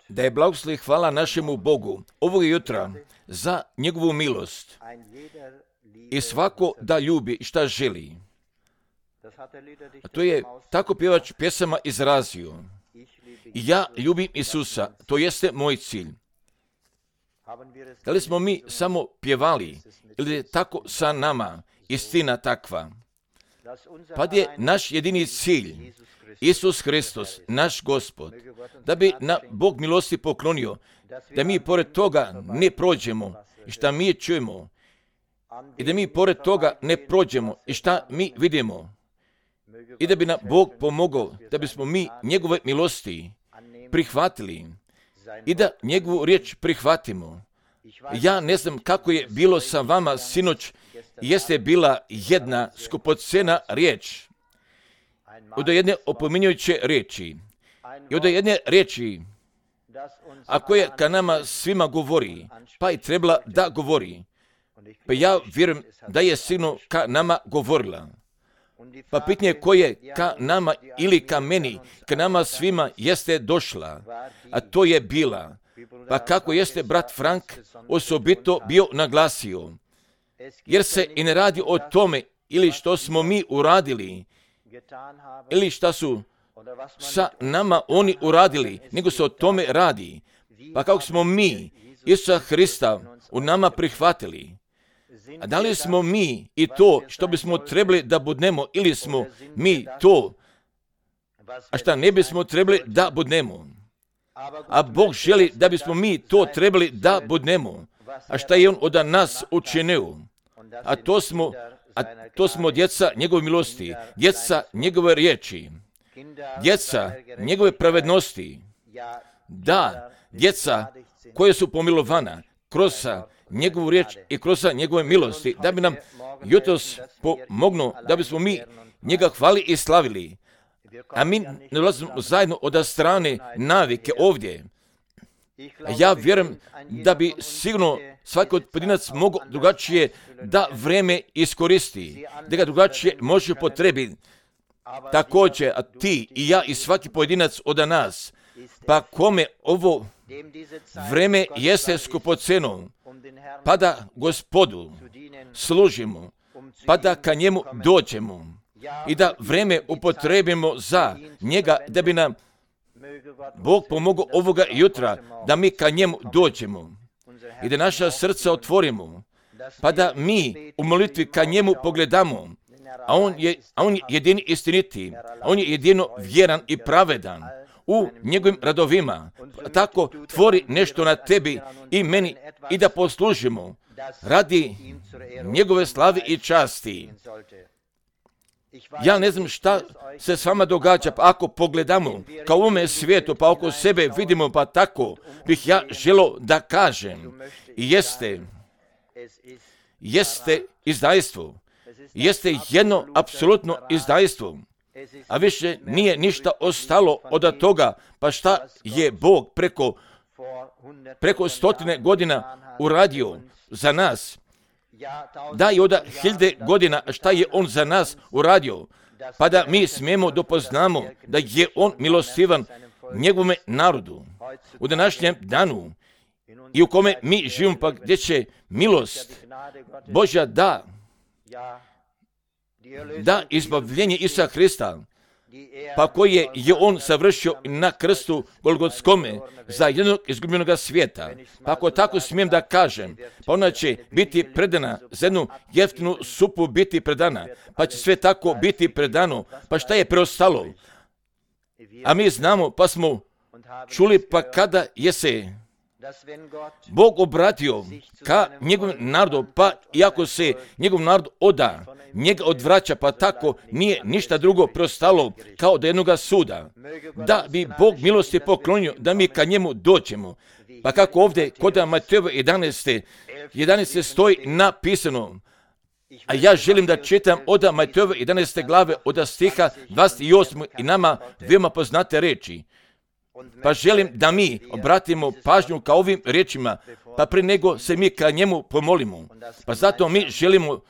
Da je blagoslov i hvala našemu Bogu ovog jutra za njegovu milost i svako da ljubi i šta želi. A to je tako pjevač pjesama izrazio. Ja ljubim Isusa, to jeste moj cilj. Da li smo mi samo pjevali ili je tako sa nama istina takva? Pa je naš jedini cilj Isus Hristos, naš Gospod, da bi na Bog milosti poklonio, da mi pored toga ne prođemo i šta mi čujemo i da mi pored toga ne prođemo i šta mi vidimo i da bi nam Bog pomogao da bismo mi njegove milosti prihvatili i da njegovu riječ prihvatimo. Ja ne znam kako je bilo sa vama sinoć, jeste bila jedna skupocena riječ, od jedne opominjujuće riječi i od jedne riječi, a koja ka nama svima govori, pa i trebala da govori. Pa ja vjerujem da je sigurno ka nama govorila. Pa pitanje koje ka nama ili ka meni, ka nama svima jeste došla, a to je bila. Pa kako jeste brat Frank osobito bio naglasio, jer se i ne radi o tome ili što smo mi uradili, ili šta su sa nama oni uradili, nego se o tome radi. Pa kako smo mi Isusa Hrista u nama prihvatili, a da li smo mi i to što bismo trebali da budnemo, ili smo mi to, a šta ne bismo trebali da budnemo? A Bog želi da bismo mi to trebali da budnemo. A šta je On od nas učinio? A to smo djeca njegove milosti, djeca njegove riječi, djeca njegove pravednosti. Da, djeca koje su pomilovana kroz njegovu riječ i kroz njegove milosti, da bi nam jutros pomognuo, da bismo mi njega hvali i slavili. A mi ne ulazimo zajedno od strane navike ovdje. Ja vjerujem da bi sigurno svaki od pojedinac mogao drugačije da vreme iskoristi, da ga drugačije može potrebiti. Također, a ti i ja i svaki pojedinac od nas, pa kome ovo vreme jeste skupoceno, pa da Gospodu služimo, pa da ka njemu dođemo i da vreme upotrebimo za njega, da bi nam Bog pomogao ovoga jutra, da mi ka njemu dođemo i da naša srca otvorimo, pa da mi u molitvi ka njemu pogledamo, a on je jedini istiniti, a on je jedino vjeran i pravedan u njegovim radovima. Tako tvori nešto na tebi i meni i da poslužimo radi njegove slave i časti. Ja ne znam šta se s vama događa, pa ako pogledamo kao u ovome svijetu, pa oko sebe vidimo, pa tako bih ja želio da kažem, jeste izdajstvo, jeste jedno apsolutno izdajstvo, a više nije ništa ostalo od toga, pa šta je Bog preko 100 godina uradio za nas. Da i od 1000 godina šta je On za nas uradio, pa da mi smijemo dopoznamo da je On milostivan njegovome narodu u današnjem danu i u kome mi živimo, pa gdje će milost Božja da izbavljenje Isusa Hrista, pa koje je On savršio na krstu Golgotskome za jednog izgubljenog svijeta. Pa ako tako smijem da kažem, pa ona će biti predana, za jednu jeftinu supu biti predana, pa će sve tako biti predano, pa šta je preostalo? A mi znamo, pa smo čuli, pa kada je se Bog obratio ka njegovom narodu, pa iako se njegov narod oda, njega odvraća, pa tako nije ništa drugo preostalo kao do jednoga suda. Da bi Bog milosti poklonio, da mi ka njemu dođemo. Pa kako ovdje kod Matejove 11. stoji napisano, a ja želim da čitam od Matejove 11. glave od stiha 28. i nama veoma poznate reči. Pa želim da mi obratimo pažnju ka ovim riječima, pa prije nego se mi ka njemu pomolimo. Pa zato mi želimo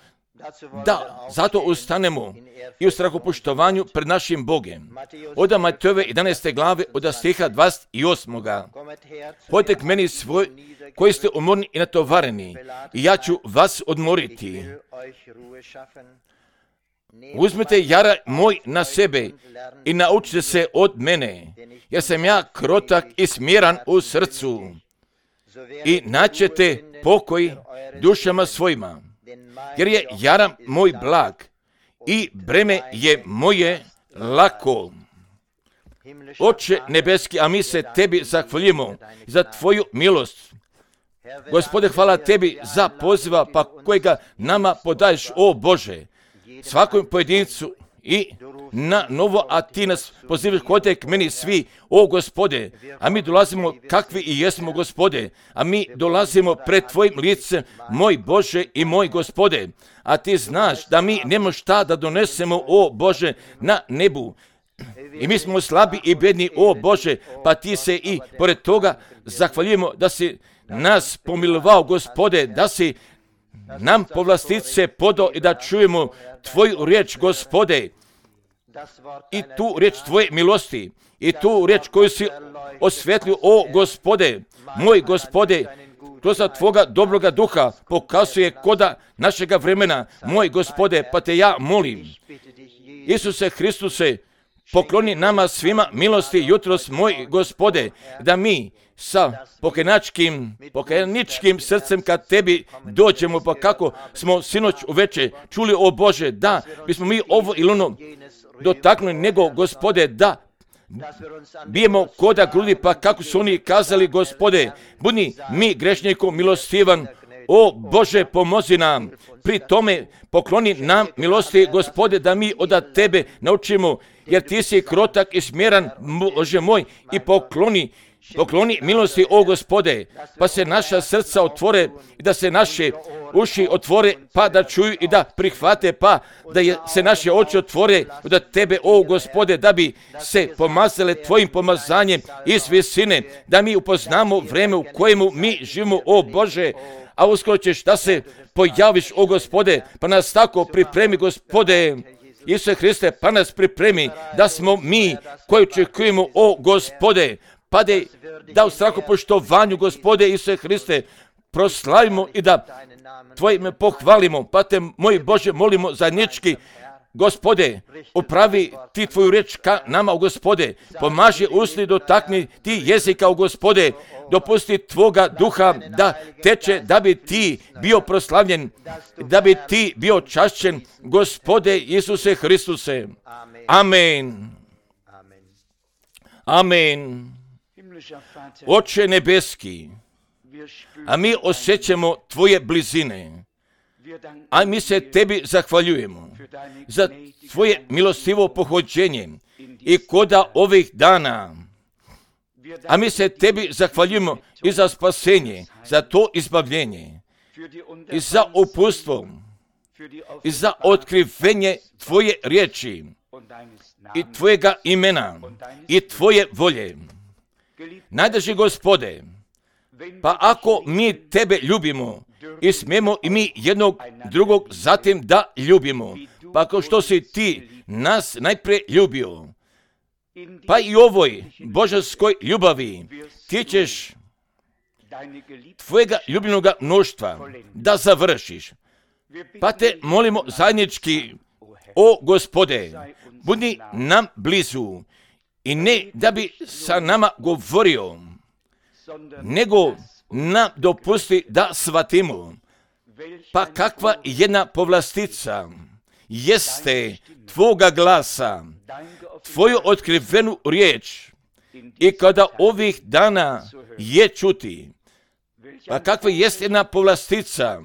da zato ustanemo i u strahopoštovanju pred našim Bogem. Od Matejove 11. glave, od stiha 28. Hodite k meni svoj, koji ste umorni i natovareni, i ja ću vas odmoriti. Uzmite jara moj na sebe i naučite se od mene, jer sam ja krotak i smiran u srcu, i naćete pokoj dušama svojima, jer je jara moj blag i breme je moje lako. Oče nebeski, a mi se tebi zahvaljujemo za tvoju milost. Gospode, hvala tebi za poziva pa kojega nama podaješ, o Bože, svakom pojedincu i na novo, a ti nas pozivaš, hodite k meni svi, o Gospode, a mi dolazimo kakvi i jesmo, Gospode, a mi dolazimo pred tvojim licem, moj Bože i moj Gospode, a ti znaš da mi nemamo šta da donesemo, o Bože, na nebu. I mi smo slabi i bedni, o Bože, pa ti se i pored toga zahvaljujemo da si nas pomilovao, Gospode, da si nam povlastice podao i da čujemo tvoju riječ, Gospode, i tu riječ tvoje milosti, i tu riječ koju si osvetlio, o Gospode, moj Gospode, kroz tvoga dobroga duha pokazuje koda našega vremena, moj Gospode, pa te ja molim, Isuse Hristuse, pokloni nama svima milosti jutros, moj Gospode, da mi sa pokajničkim srcem kad tebi dođemo, pa kako smo sinoć uveče čuli, o Bože, da bismo mi ovo ili ono dotaknuli, nego, Gospode, da bijemo koda grudi, pa kako su oni kazali, Gospode, budi mi grešniku milostivan, o Bože, pomozi nam, pri tome pokloni nam milosti, Gospode, da mi od tebe naučimo, jer ti si krotak i smjeran, Bože moj, i pokloni milosti, o Gospode, pa se naša srca otvore i da se naše uši otvore, pa da čuju i da prihvate, pa da se naše oči otvore od tebe, o Gospode, da bi se pomazale tvojim pomazanjem iz visine, da mi upoznamo vreme u kojemu mi živimo, o Bože, a uskoro ćeš da se pojaviš, o Gospode, pa nas tako pripremi, Gospode, Isuse Hriste, pa nas pripremi da smo mi koji očekujemo, o Gospode, pa da u strahopoštovanju, Gospode Isuse Hriste, proslavimo i da tvoje ime pohvalimo, pa te, moj Bože, molimo zajednički, Gospode, upravi ti tvoju riječ ka nama, o Gospode, pomaži usni, dotakni ti jezika, o Gospode, dopusti tvoga duha da teče, da bi ti bio proslavljen, da bi ti bio čašćen, Gospode Isuse Hristuse. Amen. Amen. Oče nebeski, a mi osjećamo tvoje blizine, a mi se tebi zahvaljujemo za tvoje milostivo pohođenje i koda ovih dana, a mi se tebi zahvaljujemo i za spasenje, za to izbavljenje, i za uputstvo, i za otkrivenje tvoje riječi, i tvojega imena, i tvoje volje. Najdraži Gospode, pa ako mi tebe ljubimo i smijemo i mi jednog drugog zatim da ljubimo, pa kao što si ti nas najprije ljubio, pa i ovoj božanskoj ljubavi ti ćeš tvojega ljubljenoga mnoštva da završiš. Pa te molimo zajednički, o Gospode, budi nam blizu i ne da bi sa nama govorio, nego nam dopusti da shvatimo, pa kakva jedna povlastica jeste tvoga glasa, tvoju otkrivenu riječ, i kada ovih dana je čuti, pa kakva jest jedna povlastica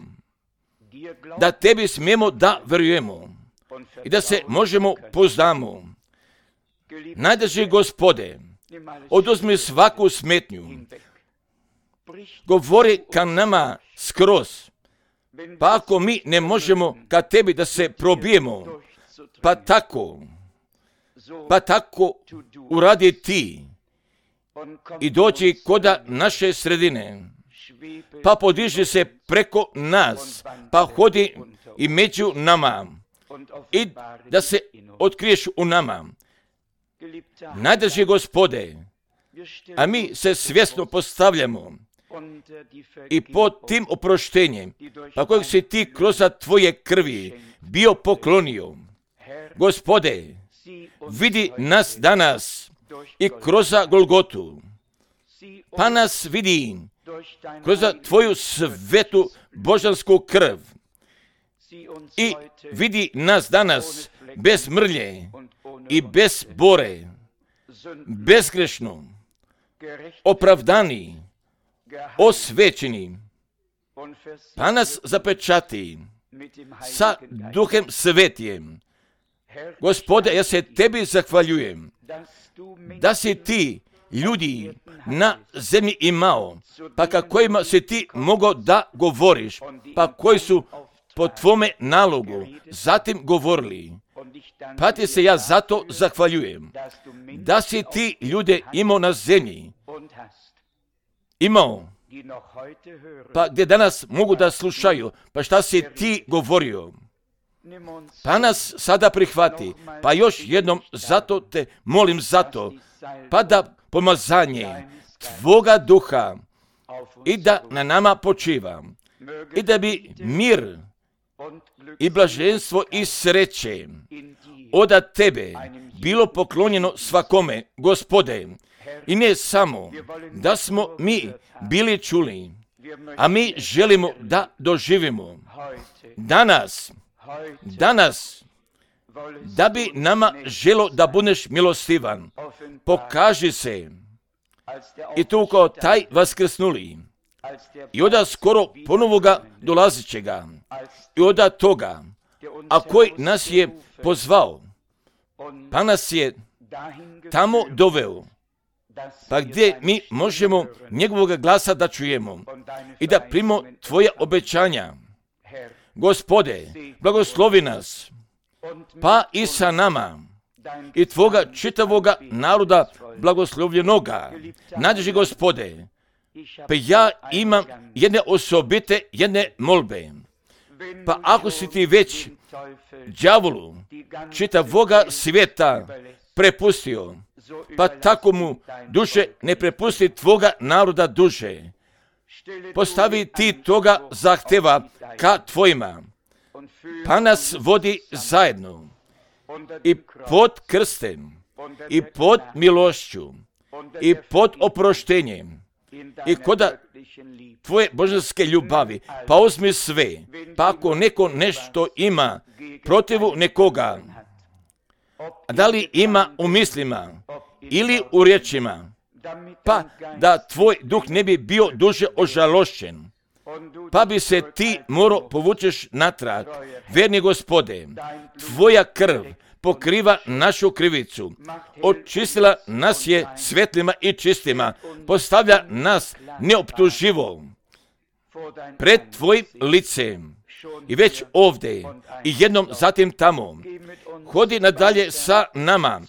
da tebi smijemo da verujemo i da se možemo poznamo. Najdraži Gospode, oduzmi svaku smetnju, govori ka nama skroz, pa ako mi ne možemo ka tebi da se probijemo, pa tako uradi ti i dođi koda naše sredine, pa podiži se preko nas, pa hodi i među nama i da se otkriješ u nama. Najdraži Gospode, a mi se svjesno postavljamo i pod tim oproštenjem, pa kojeg si ti kroz Tvoje krvi bio poklonio. Gospode, vidi nas danas i kroz Golgotu, pa nas vidi kroz Tvoju svetu božansku krv i vidi nas danas bez mrlje i bez bore, bezgrešno, opravdani, osvećeni, pa nas zapečati sa Duhem Svetijem. Gospode, ja se Tebi zahvaljujem da si ti ljudi na zemlji imao, pa kojima si ti mogao da govoriš, pa koji su po Tvome nalogu zatim govorili. Pa ti se ja zato zahvaljujem da si ti ljude imao na zemlji, imao, pa gdje danas mogu da slušaju, pa šta si ti govorio. Pa nas sada prihvati, pa još jednom zato te molim zato, pa da pomazanje Tvoga duha i da na nama počiva i da bi mir i blaženstvo i sreće od Tebe bilo poklonjeno svakome, Gospode. I ne samo da smo mi bili čuli, a mi želimo da doživimo danas, da bi nama želo da budeš milostivan. Pokaži se i tu kao taj vaskrsnuli i od skoro ponovoga dolazićega i od toga, a koji nas je pozvao, pa nas je tamo doveo, pa gdje mi možemo njegovog glasa da čujemo i da primimo Tvoja obećanja. Gospode, blagoslovi nas, pa i sa nama i Tvoga čitavoga naroda blagoslovljenoga. Najdraži Gospode, pa ja imam jedne molbe. Pa ako si ti već đavolu čitavoga svijeta prepustio, pa tako mu duše ne prepusti Tvoga naroda duše. Postavi ti toga zahteva ka Tvojima, pa nas vodi zajedno i pod krstem, i pod milošću, i pod oproštenjem, i kod Tvoje božanske ljubavi, pa uzmi sve, pa ako neko nešto ima protivu nekoga, da li ima u mislima ili u riječima, pa da Tvoj duh ne bi bio duže ožalošćen, pa bi se ti morao povučeš natrag. Verni Gospode, Tvoja krv pokriva našu krivicu, očistila nas je svetlima i čistima, postavlja nas neoptuživo pred Tvojim licem i već ovdje i jednom zatim tamo. Hodi nadalje sa nama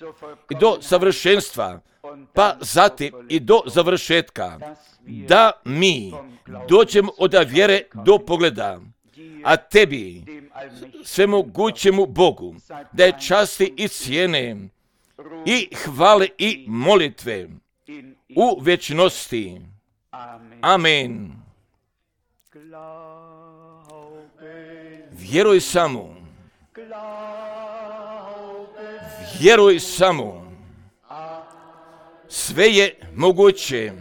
i do savršenstva, pa zatim i do završetka, da mi dođemo od vjere do pogleda, a Tebi, svemogućemu Bogu, da je časti i cijene i hvale i molitve u vječnosti. Amen. Vjeruj samo. Vjeruj samo. Sve je moguće.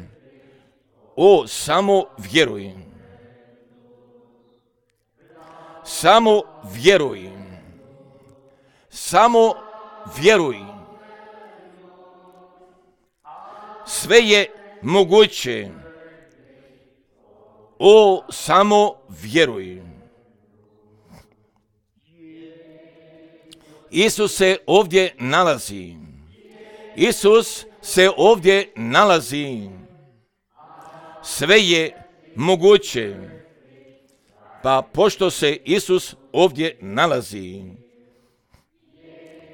O, samo vjeruj. Samo vjeruj. Samo vjeruj. Sve je moguće. O, samo vjeruj. Isus se ovdje nalazi. Isus se ovdje nalazi. Sve je moguće. Pa pošto se Isus ovdje nalazi,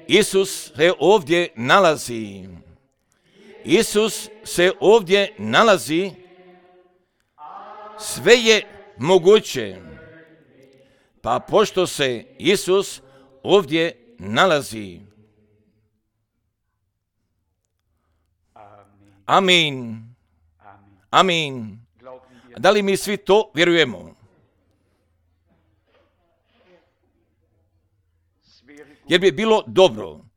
Isus se ovdje nalazi, Isus se ovdje nalazi, sve je moguće. Pa pošto se Isus ovdje nalazi. Amin. Amin. Da li mi svi to vjerujemo? Jer bi bilo dobro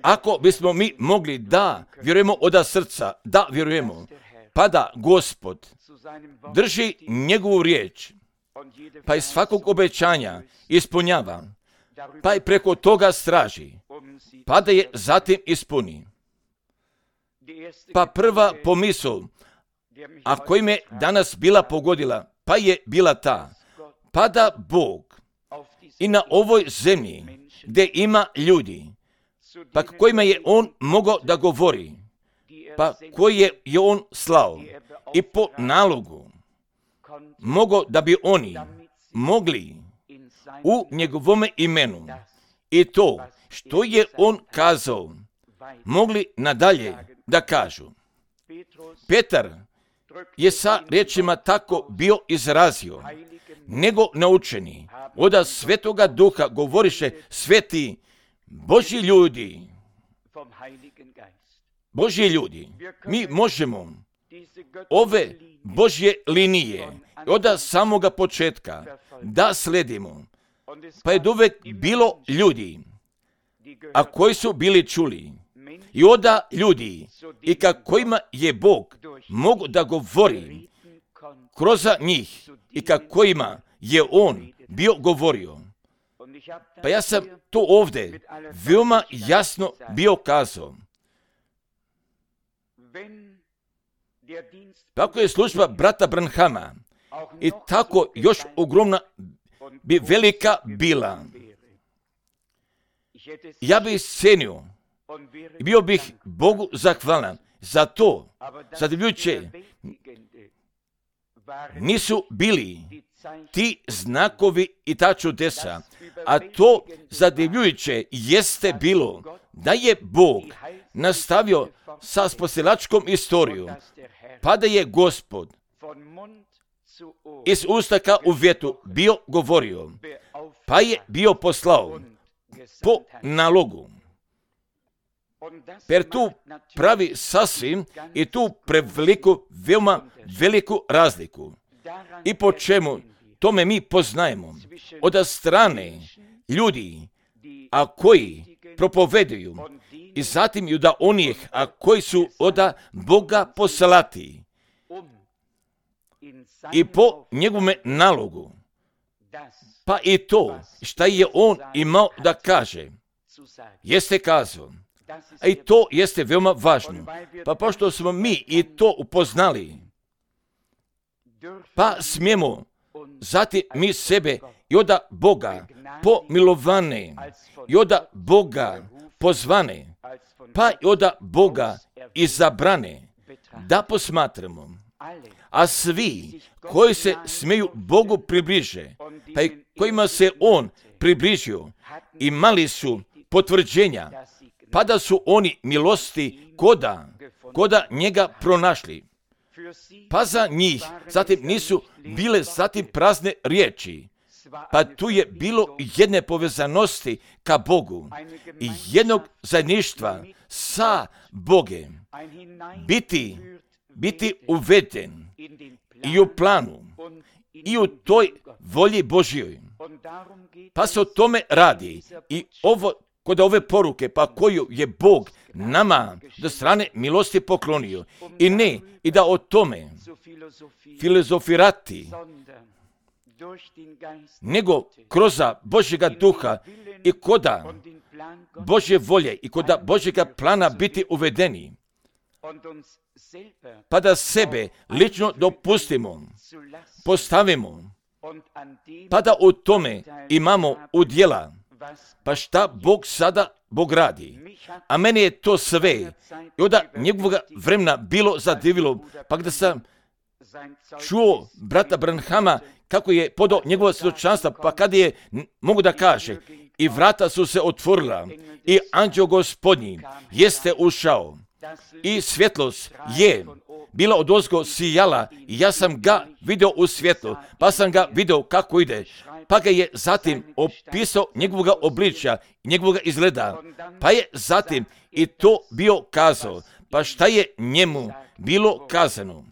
ako bismo mi mogli da vjerujemo od srca, da vjerujemo, pa da Gospod drži njegovu riječ, pa i svakog obećanja ispunjava, pa i preko toga straži, pa da je zatim ispuni. Pa prva pomisao, a koji me danas bila pogodila, pa je bila ta, pa da Bog i na ovoj zemlji, gdje ima ljudi, pa kojima je on mogao da govori, pa koji je on slao i po nalogu mogao da bi oni mogli u njegovome imenu i to što je on kazao mogli nadalje da kažu. Petar je sa riječima tako bio izrazio, nego naučeni od Svetoga Duha govoriše sveti Božji ljudi. Božji ljudi, mi možemo ove Božje linije od samoga početka da sledimo. Pa je uvek bilo ljudi, a koji su bili čuli i oda ljudi i kojima je Bog mogu da govori kroz njih i kojima je on bio govorio. Pa ja sam to ovdje veoma jasno bio kazao. Tako je služba brata Branhama i tako još ogromna bi velika bila. Ja bih cenio i bio bih Bogu zahvalan za to, zadivljujuće nisu bili ti znakovi i ta čudesa, a to zadivljujuće jeste bilo da je Bog nastavio sa spasilačkom istorijom, pa da je Gospod iz ustaka u vjetu bio govorio, pa je bio poslao po nalogu. Per tu pravi sasvim i tu preveliku, veoma veliku razliku. I po čemu tome mi poznajemo od strane ljudi, a koji propoveduju i zatim i da onih, a koji su od Boga poslati i po njegovome nalogu, pa i to šta je on imao da kaže, jeste kazao. A i to jeste veoma važno. Pa pošto smo mi i to upoznali, pa smijemo zatim mi sebe i od Boga pomilovane i od Boga pozvane, pa i od Boga izabrane da posmatramo. A svi koji se smiju Bogu približe, pa i kojima se on približio, imali su potvrđenja, pa da su oni milosti koda njega pronašli. Pa za njih zatim nisu bile zatim prazne riječi, pa tu je bilo jedne povezanosti ka Bogu i jednog zajedništva sa Bogem, biti uveden i u planu i u toj volji Božjoj. Pa se o tome radi i ovo kod ove poruke, pa koju je Bog nama do strane milosti poklonio. I ne, i da o tome filozofirati, nego kroz Božjega duha i koda Božje volje i koda Božjega plana biti uvedeni. Pa da sebe lično dopustimo, postavimo, pa da u tome imamo udjela. Pa šta Bog sada Bog radi? A meni je to sve i od njegovog vremena bilo zadivilo, pa gdje sam čuo brata Branhama kako je podao njegovo svjedočanstvo, pa kad je, mogu da kaže, i vrata su se otvorila i anđeo Gospodnji jeste ušao i svjetlost je bila odozgo sijala i ja sam ga vidio u svjetlu, pa sam ga vidio kako ide. Pa ga je zatim opisao njegovoga obličja, njegovoga izgleda. Pa je zatim i to bio kazao. Pa šta je njemu bilo kazano?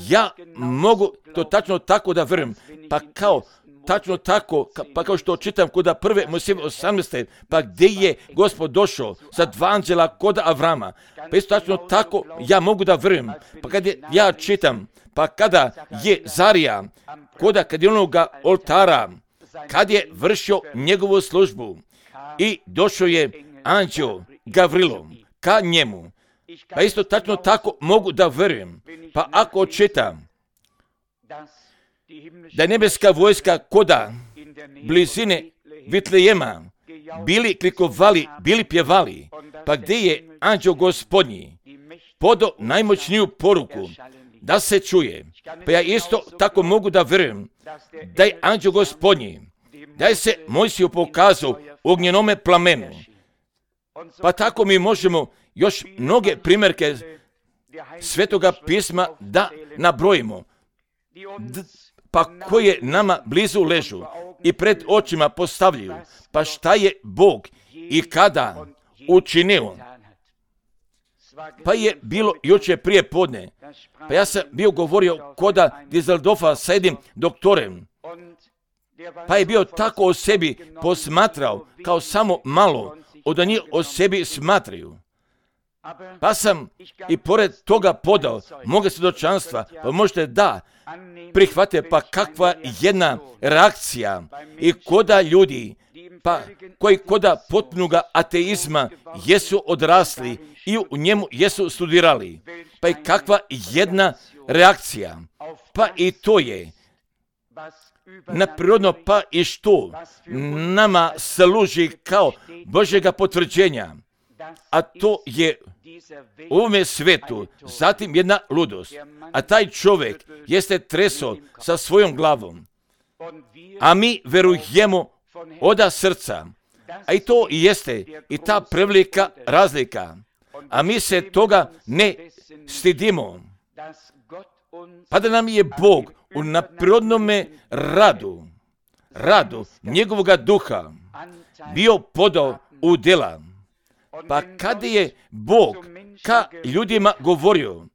Ja mogu to tačno tako da vjerujem. Pa kao tačno tako, pa kao što čitam kod 1. Mojsijeve 18. Pa gdje je Gospod došao sa 2 anđela kod Avrama. Pa isto tačno tako ja mogu da vjerujem. Pa kad ja čitam, pa kada je Zarija, kad je onoga oltara, kad je vršio njegovu službu i došao je anđel Gavrilo ka njemu. Pa isto tačno tako mogu da vjerujem. Pa ako čitam da je nebeska vojska koda blizine Vitlejema bili klikovali, bili pjevali, pa gdje je anđel Gospodnji podao najmoćniju poruku da se čuje. Pa ja isto tako mogu da vjerujem da je anđel Gospodnji, da je se Mojsiju pokazao u ognjenome plamenu. Pa tako mi možemo još mnoge primjerke Svetoga pisma da nabrojimo, pa koje nama blizu ležu i pred očima postavljaju. Pa šta je Bog i kada učinio? Pa je bilo jučer prije podne. Pa ja sam bio govorio koda Dizeldorfa sa jednim doktorem. Pa je bio tako o sebi posmatrao kao samo malo od njih o sebi smatraju. Pa sam i pored toga podao moga svjedočanstva, pa možete da prihvate, pa kakva jedna reakcija i koda ljudi, pa koji koda potpunoga ateizma jesu odrasli i u njemu jesu studirali. Pa i kakva jedna reakcija, pa i to je naprirodno, pa i što nama služi kao Božjega potvrđenja, a to je u ovome svijetu zatim jedna ludost, a taj čovjek jeste treso sa svojom glavom, a mi verujemo od srca, a i to jeste i ta prevelika razlika, a mi se toga ne stidimo, pa da nam je Bog u naprirodnome radu njegovoga duha bio podao u djela. Pa kada je Bog ka ljudima govorio,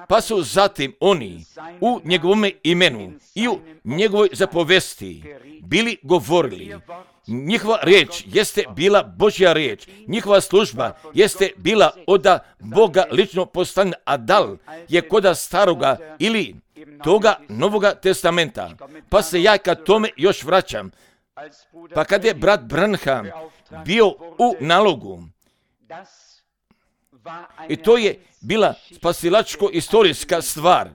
pa su zatim oni u njegovome imenu i u njegovoj zapovesti bili govorili. Njihova riječ jeste bila Božja riječ, njihova služba jeste bila od Boga lično poslana, a dal je koda staroga ili toga Novoga testamenta. Pa se ja ka tome još vraćam. Pa kad je brat Branham bio u nalogu, i to je bila spasilačko-istorijska stvar.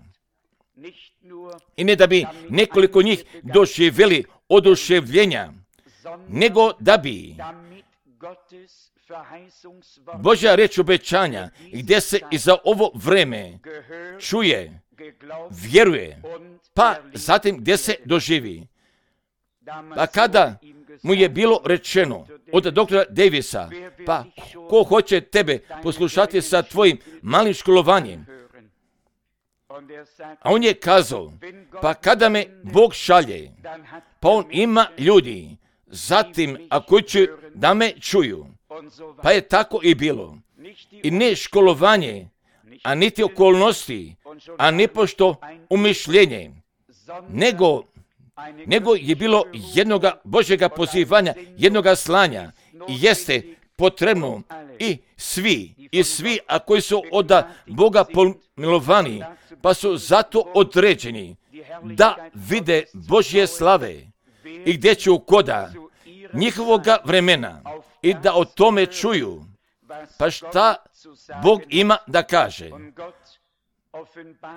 I ne da bi nekoliko njih doživjeli oduševljenja, nego da bi Božja riječ obećanja, gdje se i za ovo vreme čuje, vjeruje, pa zatim gdje se doživi. Pa kada mu je bilo rečeno od doktora Davisa, pa ko hoće tebe poslušati sa tvojim malim školovanjem? A on je kazao, pa kada me Bog šalje, pa on ima ljudi, zatim ako će da me čuju. Pa je tako i bilo. I ne školovanje, a niti okolnosti, a ne pošto umišljenje, nego je bilo jednoga Božjega pozivanja, jednoga slanja i jeste potrebno i svi, a koji su od Boga pomilovani, pa su zato određeni da vide Božje slave i gdje će koda njihovoga vremena i da o tome čuju, pa šta Bog ima da kaže.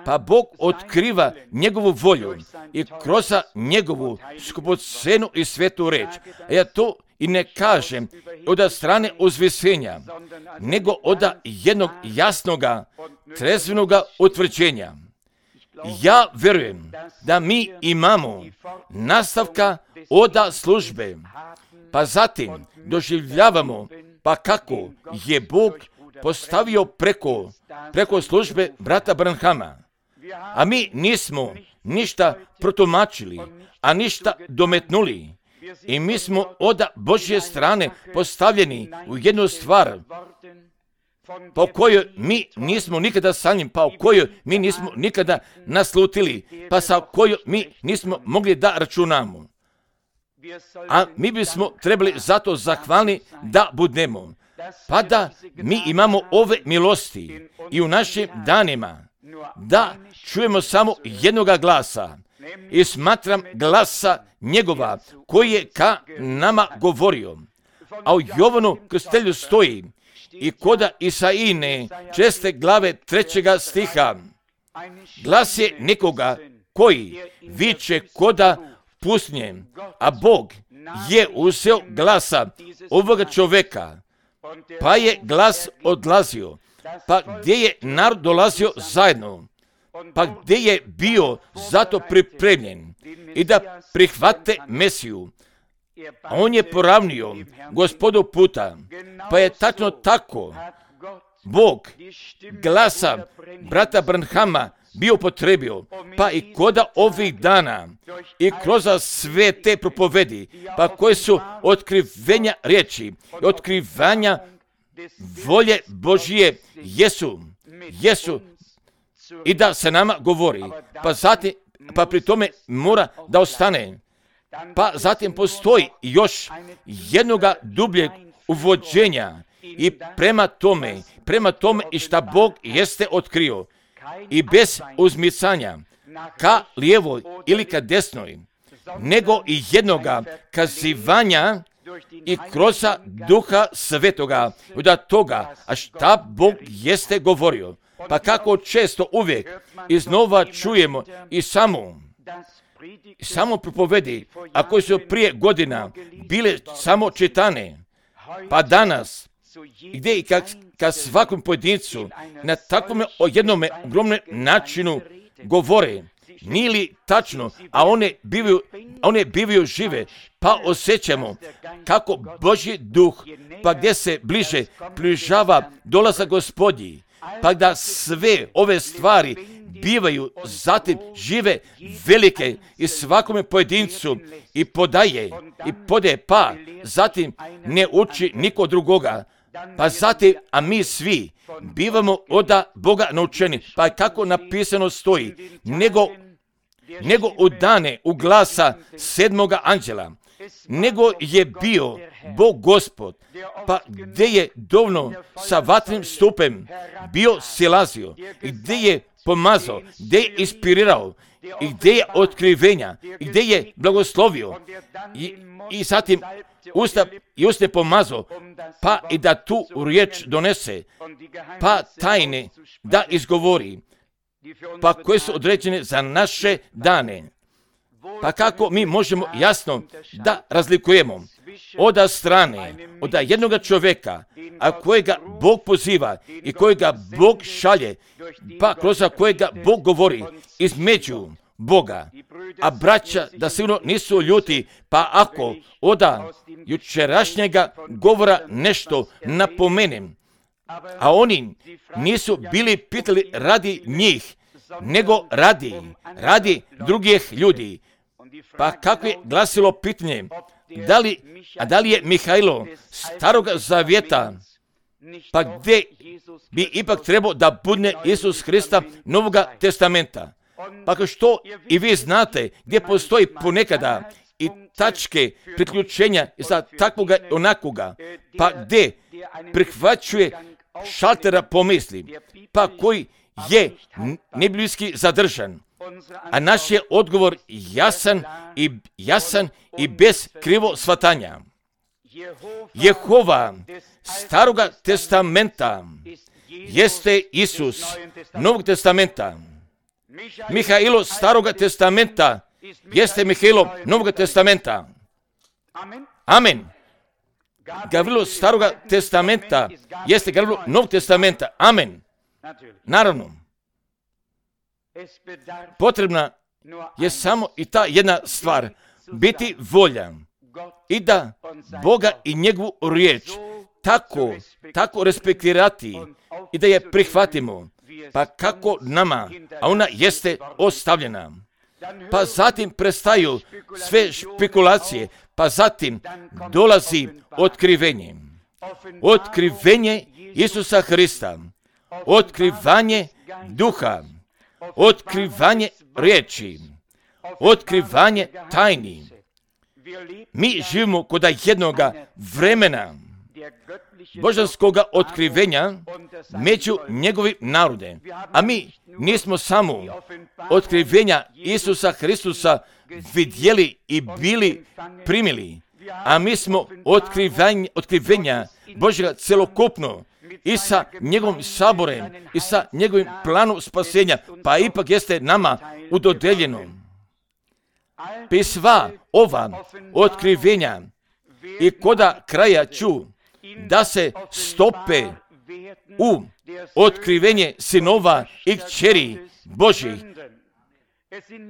Pa Bog otkriva njegovu volju i kroz njegovu skupocenu i svetu reč. A ja to i ne kažem od strane uzvisenja, nego od jednog jasnoga, trezvenoga utvrđenja. Ja vjerujem da mi imamo nastavka od službe, pa zatim doživljavamo pa kako je Bog postavio preko službe brata Branhama, a mi nismo ništa protumačili, a ništa dometnuli. I mi smo od Božje strane postavljeni u jednu stvar, pa o kojoj mi nismo nikada sanjali, pa o kojoj mi nismo nikada naslutili, pa sa kojoj mi nismo mogli da računamo. A mi bismo trebali zato zahvalni da budemo, pa da mi imamo ove milosti i u našim danima, da čujemo samo jednoga glasa i smatram glasa njegova koji je ka nama govorio. A u Jovanu Krstitelju stoji i koda Isaijine 6. glave 3. stiha, glas je nekoga koji viče koda pustinje, a Bog je uzeo glasa ovoga čoveka, pa je glas odlazio, pa gdje je narod dolazio zajedno, pa gdje je bio zato pripremljen i da prihvate Mesiju. A on je poravnio Gospodu puta, pa je tačno tako Bog glasa brata Branhama bio upotrebio, pa i koda ovih dana i kroz sve te propovedi, pa koje su otkrivenja riječi, otkrivanja volje Božije jesu i da se nama govori, pa pri tome mora da ostane. Pa zatim postoji još jednoga dubljeg uvođenja i prema tome i šta Bog jeste otkrio i bez uzmicanja ka lijevoj ili ka desnoj, nego i jednoga kazivanja i kroz Duha Svetoga od toga, a šta Bog jeste govorio. Pa kako često uvijek iznova čujemo i samo propovedi, a koje su prije godina bile samo čitane, pa danas, gdje i ka svakom pojedincu na takvom jednome ogromnom načinu govore, nije li tačno, a one bivaju žive, pa osjećamo kako Božji duh, pa gdje se bliže približava dolazak Gospodnji, pa da sve ove stvari bivaju zatim žive, velike i svakome pojedincu i podaje, pa zatim ne uči niko drugoga, pa zatim, a mi svi bivamo od Boga naučeni, pa kako napisano stoji, nego u dane u glasa 7. anđela, nego je bio Bog Gospod, pa gdje je dovoljno sa vatrenim stupem bio silazio, i gdje je pomazao, gdje je inspirirao, i gdje je otkrivenja, i gdje je blagoslovio, i zatim uste pomazao, pa i da tu riječ donese, pa tajne da izgovori, pa koje su određene za naše dane. Pa kako mi možemo jasno da razlikujemo od strane, od jednoga čovjeka, a kojega Bog poziva i kojega Bog šalje, pa kroz kojega Bog govori između Boga. A braća da sigurno nisu ljuti, pa ako od jučerašnjega govora nešto napomenem, a oni nisu bili pitali radi njih, nego radi drugih ljudi. Pa kako je glasilo pitanje, da li je Mihajlo Starog Zavjeta, pa gdje bi ipak trebao da bude Isus Hrista Novoga testamenta? Pa kao što i vi znate, gdje postoji ponekada i tačke priključenja za takvoga onakoga, pa gdje prihvaćuje šaltera pomisli, pa koji je nebiblijski zadržan. A naš je odgovor jasan i bez krivo shvatanja. Jehova Staroga testamenta jeste Isus Novog testamenta. Mihajlo Staroga testamenta jeste Mihajlo Novog testamenta. Amen. Gavrilo Staroga testamenta jeste Gavrilo Novog testamenta. Amen. Naravno. Potrebna je samo i ta jedna stvar, biti volja i da Boga i njegovu riječ tako respektirati i da je prihvatimo. Pa kako nama, a ona jeste ostavljena. Pa zatim prestaju sve špekulacije, pa zatim dolazi otkrivenje. Otkrivenje Isusa Hrista, otkrivanje duha, otkrivanje riječi, otkrivanje tajni. Mi živimo kod jednoga vremena božanskoga otkrivenja među njegovim narodem. A mi nismo samo otkrivenja Isusa Hristusa vidjeli i bili primili, a mi smo otkrivenja Božjega celokupno i sa njegovim saborem i sa njegovim planom spasenja, pa ipak jeste nama udodeljeno. I sva ova otkrivenja i koda kraja ću da se stope u otkrivenje sinova i kćeri Božjih.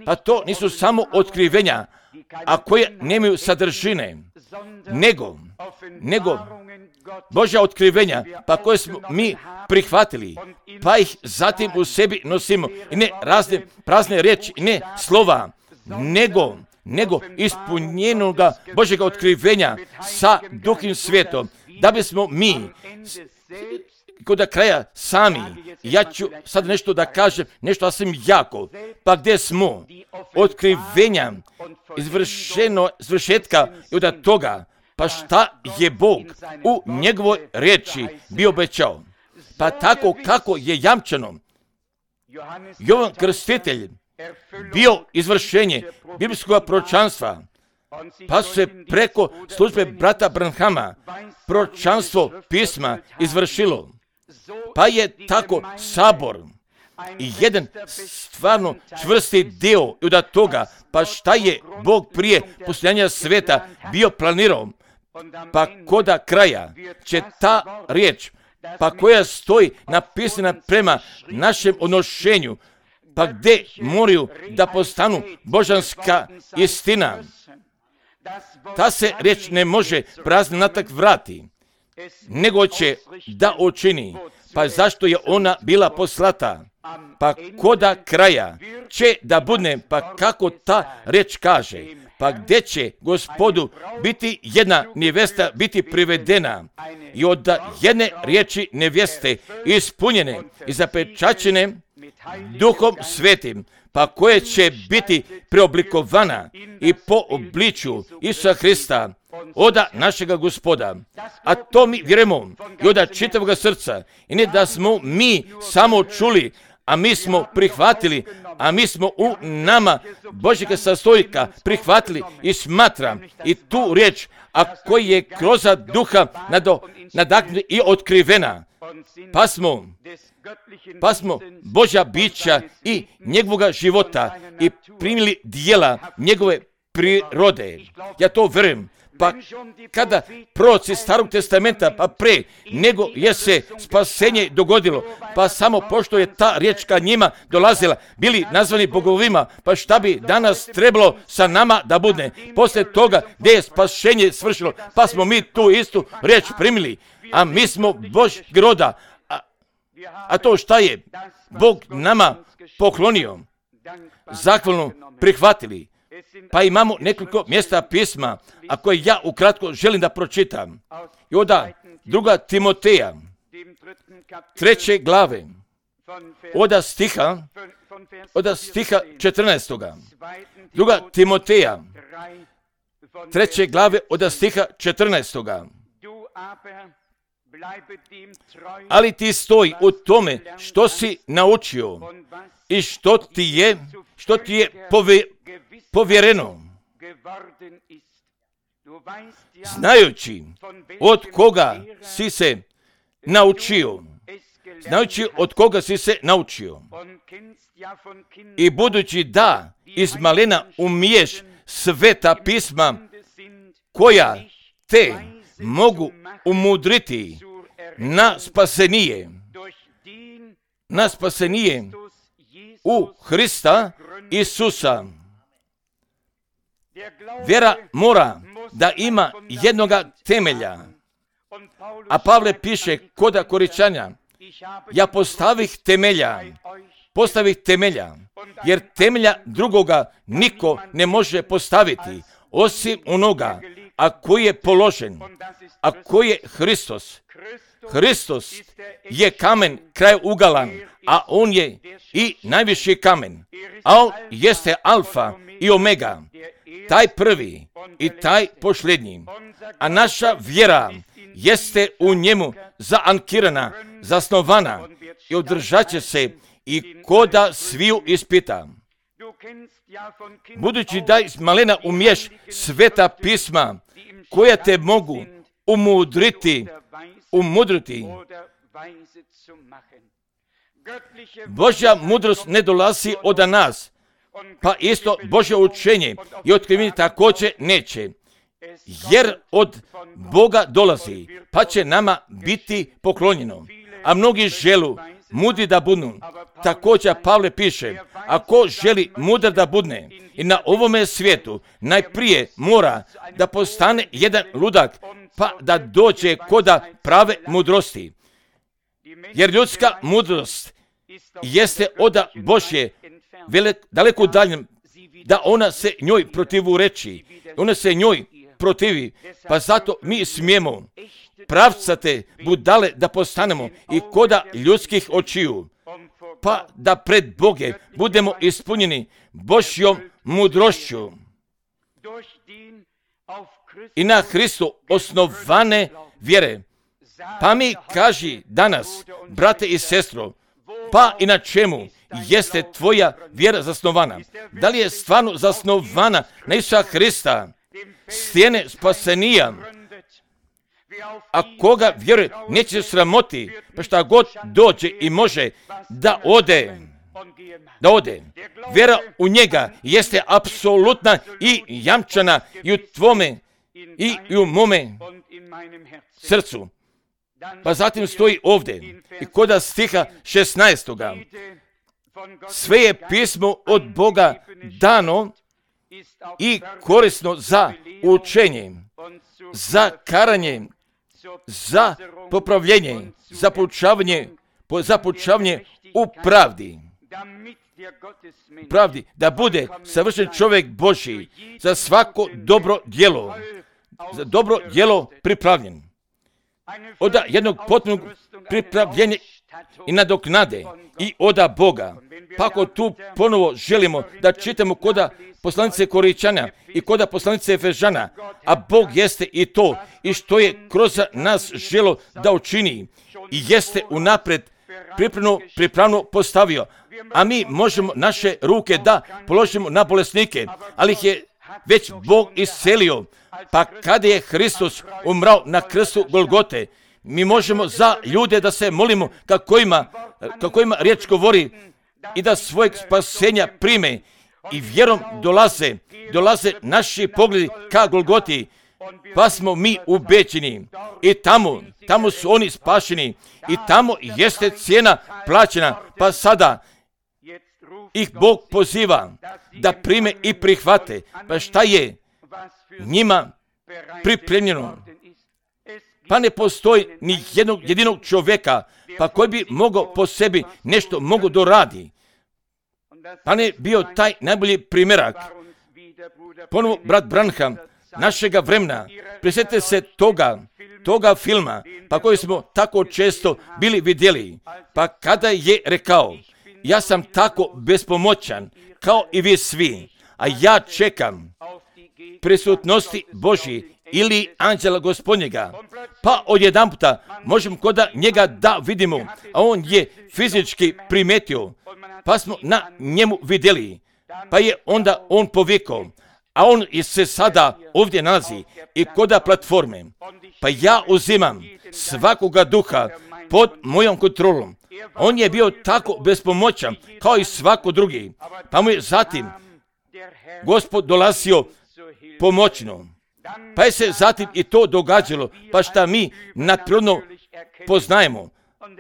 Pa to nisu samo otkrivenja, a koje nemaju sadržine, nego Božja otkrivenja, pa koje smo mi prihvatili, pa ih zatim u sebi nosimo. I ne razne prazne riječi, ne slova, nego ispunjenoga Božjega otkrivenja sa Duhom Svetom, da bismo mi kod kraja sami, ja ću sad nešto da kažem, nešto sasvim jako, pa gdje smo otkrivenja izvršetka i od toga, pa šta je Bog u njegovoj riječi bio obećao. Pa tako kako je jamčeno, Jovan Krstitelj bio izvršenje biblijskog proročanstva, pa se preko službe brata Branhama proročanstvo pisma izvršilo. Pa je tako sabor i jedan stvarno čvrsti dio od toga, pa šta je Bog prije postojanja sveta bio planirao, pa koda kraja će ta riječ, pa koja stoji napisana prema našem odnošenju, pa gdje moraju da postanu božanska istina. Ta se riječ ne može prazno natak vrati, nego će da učini. Pa zašto je ona bila poslata? Pa koda kraja će da bude, pa kako ta riječ kaže, pa gdje će Gospodu biti jedna nevesta biti privedena i od jedne riječi neveste ispunjene i zapečaćene Duhom Svetim, pa koje će biti preoblikovana i po obličju Isusa Hrista, oda našega Gospoda. A to mi vjerujemo i od čitavog srca. I ne da smo mi samo čuli, a mi smo prihvatili, a mi smo u nama Božjega sastojka prihvatili i smatram i tu riječ, a koji je kroz duha nadahnuta i otkrivena. Pa smo Božja bića i njegovoga života i primili dijela njegove prirode. Ja to vjerujem. Pa kada proroci Starog testamenta, pa pre nego je se spasenje dogodilo, pa samo pošto je ta riječ ka njima dolazila, bili nazvani bogovima, pa šta bi danas trebalo sa nama da bude? Poslije toga gdje je spasenje svršilo, pa smo mi tu istu riječ primili, a mi smo Božjeg roda. A to šta je Bog nama poklonio, zahvalno prihvatili. Pa imamo nekoliko mjesta pisma, a koje ja ukratko želim da pročitam. I onda 2. Timoteja, 3. glave, od stiha 14. 2. Timoteja, 3. glave, od stiha 14. Ali ti stoji u tome što si naučio i što ti je povjereno, znajući od koga si se naučio, i budući da iz malena umiješ sveta pisma koja te mogu umudriti na spasenije u Hrista Isusa. Vjera mora da ima jednoga temelja, A Pavle piše koda Koričanja, ja postavih temelja, jer temelja drugoga niko ne može postaviti, osim onoga, a koji je položen, a koji je Hristos. Hristos je kamen krajouglan, a on je i najviši kamen, a on jeste alfa i omega, taj prvi i taj posljednji. A naša vjera jeste u njemu zaankirana, zasnovana i održat će se i koda sviju ispita. Budući da iz malena umiješ sveta pisma koja te mogu umudriti, Božja mudrost ne dolazi od nas, pa isto Božje učenje i otkrivenje također neće, jer od Boga dolazi, pa će nama biti poklonjeno. A mnogi želu mudri da budu. Također Pavle piše, ako želi mudar da budne i na ovome svijetu, najprije mora da postane jedan ludak, pa da dođe koda prave mudrosti. Jer ljudska mudrost jeste od Božje daleko udaljen, da ona se njoj protivureči, ona se njoj protivi, pa zato mi smijemo pravcate budale da postanemo i koda ljudskih očiju, pa da pred Boge budemo ispunjeni Božjom mudrošću i na Hristu osnovane vjere. Pa mi kaži danas, brate i sestro, pa i na čemu jeste tvoja vjera zasnovana? Da li je stvarno zasnovana na Isusa Hrista, stijene spasenija? A koga vjeruje neće se sramoti, pa šta god dođe i može da ode. Vjera u njega jeste apsolutna i jamčana i u tvome i u mome srcu. Pa zatim stoji ovdje i koda stiha 16. Sve je pismo od Boga dano i korisno za učenje, za karanje, za popravljenje, za poučavanje u pravdi, da bude savršen čovjek Božji za svako dobro djelo pripravljen. Od jednog potpunog pripravljenja i nadoknade i oda Boga. Pa ako tu ponovo želimo da čitamo koda poslanice Koričana i koda poslanice Efežana, a Bog jeste i to i što je kroz nas želo da učini i jeste unapred pripravno postavio, a mi možemo naše ruke da položimo na bolesnike, ali ih je već Bog iscelio. Pa kada je Hristos umrao na krstu Golgote, mi možemo za ljude da se molimo kako ima riječ govori i da svojeg spasenja prime i vjerom dolaze naši pogledi ka Golgoti, pa smo mi ubeđeni i tamo su oni spašeni i tamo jeste cijena plaćena, pa sada ih Bog poziva da prime i prihvate. Pa šta je njima pripremljeno? Pa ne postoji ni jednog jedinog čovjeka pa koji bi mogao po sebi nešto mogu doradi. Pa ne bio taj najbolji primjerak. Ponovo brat Branham našega vremena, prisjetite se toga filma, pa koji smo tako često bili vidjeli, pa kada je rekao, ja sam tako bespomoćan kao i vi svi, a ja čekam prisutnosti Božji ili anđela Gospodnjega, pa odjedanputa možemo koda njega da vidimo, a on je fizički primetio, pa smo na njemu vidjeli, pa je onda on povikao, a on se sada ovdje nalazi i koda platforme, pa ja uzimam svakoga duha pod mojom kontrolom. On je bio tako bespomoćan kao i svako drugi, pa mu je zatim Gospod dolazio pomoćno. Pa je se zatim i to događalo, pa šta mi nadprirodno poznajemo,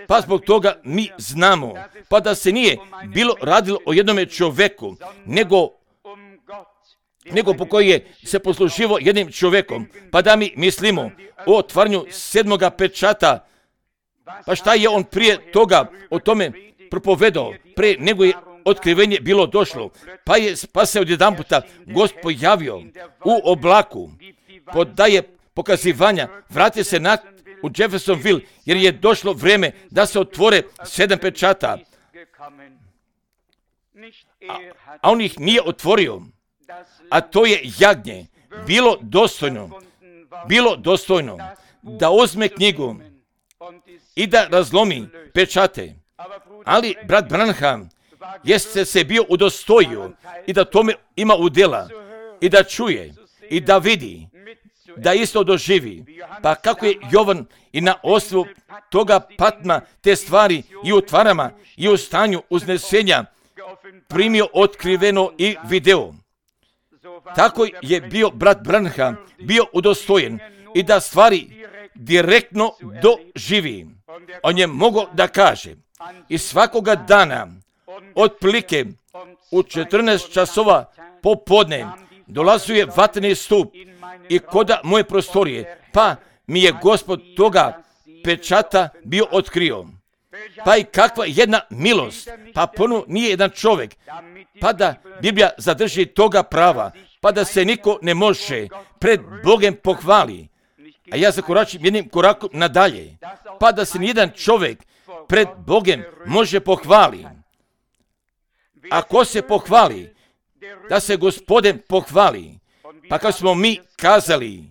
pa zbog toga mi znamo, pa da se nije bilo radilo o jednome čovjeku, nego nego po koji je se posluživo jednim čovjekom. Pa da mi mislimo o otvaranju 7. pečata, pa šta je on prije toga o tome propovedao, pre nego je otkrivenje bilo došlo, pa se odjedanputa Gospod pojavio u oblaku, daje pokazivanja, vrati se u Jeffersonville, jer je došlo vrijeme da se otvore 7 pečata, a on ih nije otvorio, a to je jagnje bilo dostojno da uzme knjigu i da razlomi pečate. Ali brat Branham jeste se bio udostojio i da tome ima udjela i da čuje i da vidi, da isto doživi. Pa kako je Jovan i na osnovu toga Patma te stvari i u tvarama i u stanju uznesenja primio otkriveno i video. Tako je bio brat Branham bio udostojen i da stvari direktno doživi. On je mogao da kaže i svakoga dana otprilike u 14 časova popodne dolazio je vatreni stup i koda moje prostorije, pa mi je Gospod toga pečata bio otkrio. Pa i kakva jedna milost, pa ponovno nije jedan čovjek, pa da Biblija zadrži toga prava, pa da se niko ne može pred Bogom pohvali. A ja zakoračim jednim korakom nadalje, pa da se nijedan čovjek pred Bogom može pohvali. Ako se pohvali, da se Gospodin pohvali, pa kao smo mi kazali,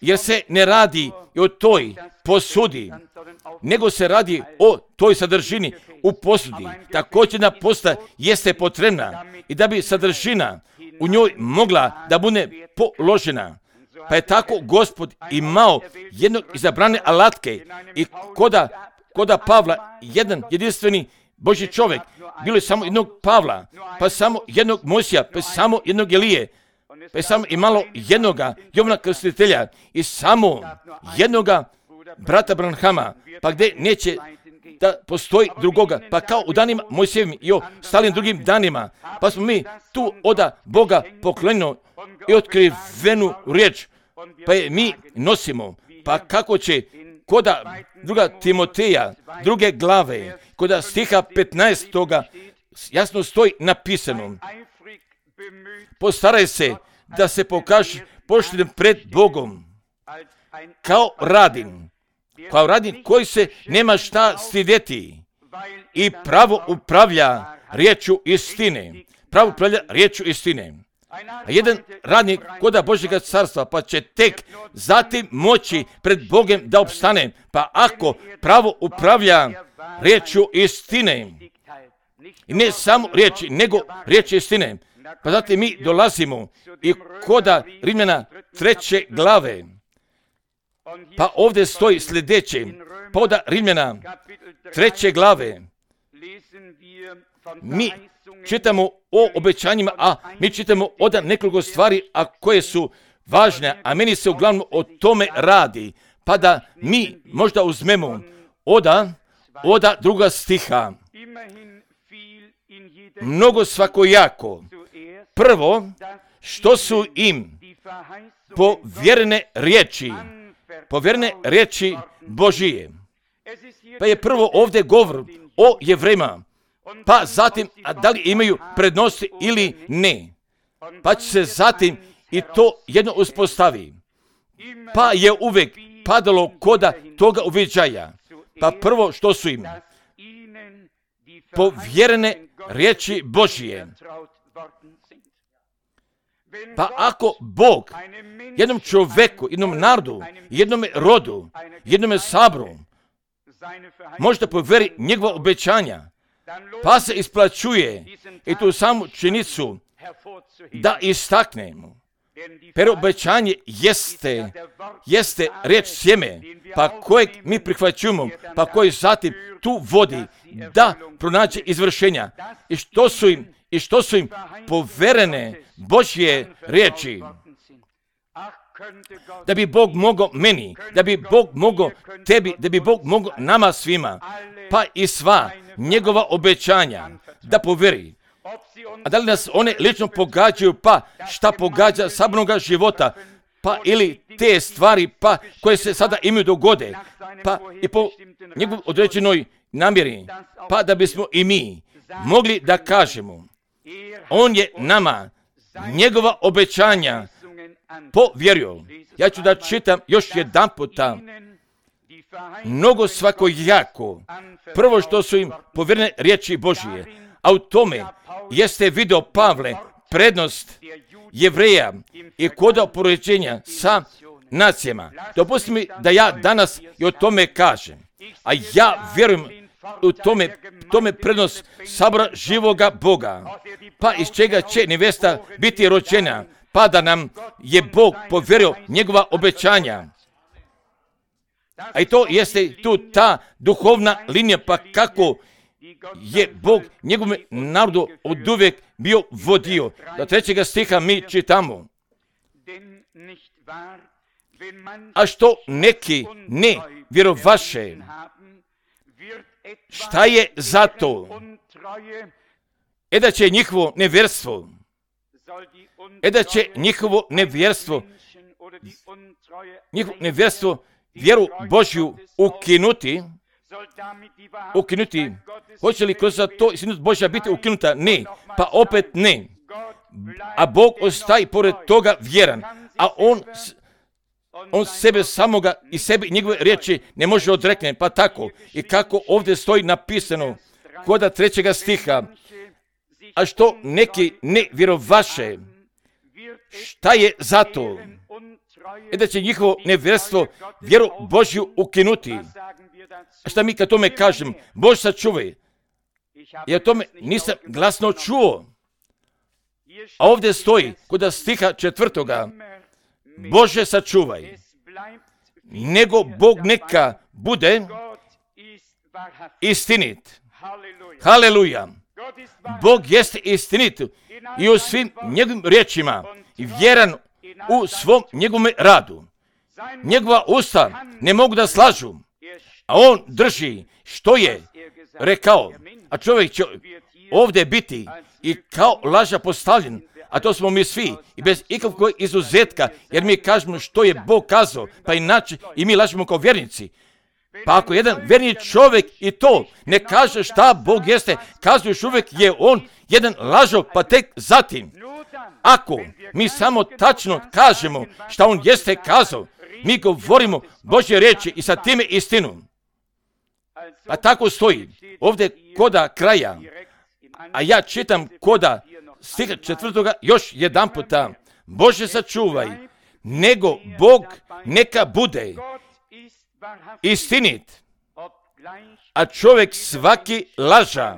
jer se ne radi o toj posudi, nego se radi o toj sadržini u posudi. Također jedna posuda jeste potrebna i da bi sadržina u njoj mogla da bude položena. Pa je tako Gospod imao jednog izabrane alatke i koda Pavla, jedan jedinstveni Božji čovjek, bilo je samo jednog Pavla, pa samo jednog Mojsija, pa samo jednog Elije, pa samo i malo jednoga Jovana Krstitelja i samo jednoga brata Branhama, pa gdje neće da postoji drugoga, pa kao u danima Mojsijevim i o stalim drugim danima, pa smo mi tu oda Boga poklonjeno i otkrivenu riječ, pa je mi nosimo, pa kako će koda druga Timoteja, druge glave, koda stiha 15. jasno stoji napisano, postaraj se da se pokaže poštenim pred Bogom, kao radin koji se nema šta stidjeti i pravo upravlja riječu istine. A jedan radnik koda Božjega carstva, pa će tek zatim moći pred Bogom da opstane, pa ako pravo upravlja riječu istine, i ne samo riječi, nego riječi istine, pa zatim mi dolazimo i koda Rimljana 3. glave, pa ovdje stoji sljedeće, pa od Rimljana 3. glave, mi čitamo o obećanjima, a mi čitamo od nekoliko stvari, a koje su važne, a meni se uglavnom o tome radi, pa da mi možda uzmemo od druga stiha, mnogo svakojako. Prvo, što su im povjerene riječi Božije. Pa je prvo ovdje govor o Jevrejima, pa zatim, a da li imaju prednosti ili ne. Pa će se zatim i to jedno uspostavi. Pa je uvijek padalo koda toga uviđaja. Pa prvo što su im povjerene riječi Božije. Pa ako Bog jednom čovjeku, jednom narodu, jednom rodu, jednom saboru možda povjeri njegova obećanja, pa se isplaćuje i tu samu činjenicu da istaknemo. Per obećanje jeste riječ sjeme, pa kojeg mi prihvaćujemo, pa koji zatim tu vodi da pronađe izvršenja. I što su im poverene Božje riječi. Da bi Bog mogao meni, da bi Bog mogao tebi, da bi Bog mogao nama svima, pa i sva njegova obećanja da poveri. A da li nas one lično pogađaju, pa šta pogađa sabornoga života, pa ili te stvari, pa koje se sada imaju dogode, pa i po njegovoj određenoj namjeri, pa da bismo i mi mogli da kažemo, on je nama njegova obećanja povjerio. Ja ću da čitam još jedan puta, mnogo svakojako, prvo što su im povjerene riječi Božije, a u tome jeste video Pavle prednost Jevreja i koda poređenja sa nacijama. Dopustite mi da ja danas i o tome kažem, a ja vjerujem u tome prednost sabora živoga Boga, pa iz čega će nevesta biti rođena, pa da nam je Bog povjerio njegova obećanja. A i to jeste tu ta duhovna linija, pa kako je Bog njegovom narodu od uvijek bio vodio. Do 3. stiha mi čitamo. A što neki ne vjerovaše, šta je za to? Da će njihovo nevjerstvo, vjeru Božju ukinuti. Hoće li kroz to istinut Božja biti ukinuta? Ne, pa opet ne. A Bog ostaje pored toga vjeran, a on sebe samoga i sebi njegove riječi ne može odrekne, pa tako. I kako ovdje stoji napisano, koda 3. stiha, a što neki ne vjerovaše, šta je za to? Da će njihovo nevjerstvo vjeru Božju ukinuti. A šta mi kad tome kažem? Bož sačuvaj. Ja tome nisam glasno čuo. A ovdje stoji kod stiha 4. Bože sačuvaj. Nego Bog neka bude istinit. Haleluja. Bog jeste istinit i u svim njegovim riječima i vjeran u svom njegovom radu. Njegova usta ne mogu da slažu, a on drži što je rekao. A čovjek će ovdje biti i kao laža postavljen, a to smo mi svi i bez ikakvog izuzetka, jer mi kažemo što je Bog kazao, pa inače i mi lažemo kao vjernici. Pa ako jedan vjerni čovjek i to ne kaže šta Bog jeste, kazao još uvijek je on jedan lažov, pa tek zatim. Ako mi samo tačno kažemo šta on jeste kazao, mi govorimo Božje riječi i sa time istinu. Pa tako stoji ovdje koda kraja, a ja čitam koda stiha 4. još jedan puta. Bože sačuvaj, nego Bog neka bude istinit, a čovjek svaki laža.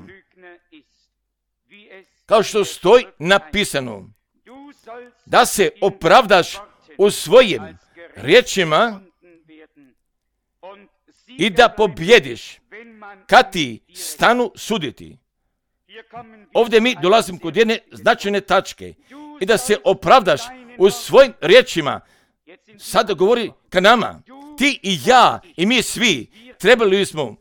Kao što stoji napisano, da se opravdaš u svojim riječima i da pobjediš kad ti stanu suditi. Ovdje mi dolazimo kod jedne značajne tačke i da se opravdaš u svojim riječima. Sada govori ka nama, ti i ja i mi svi trebali smo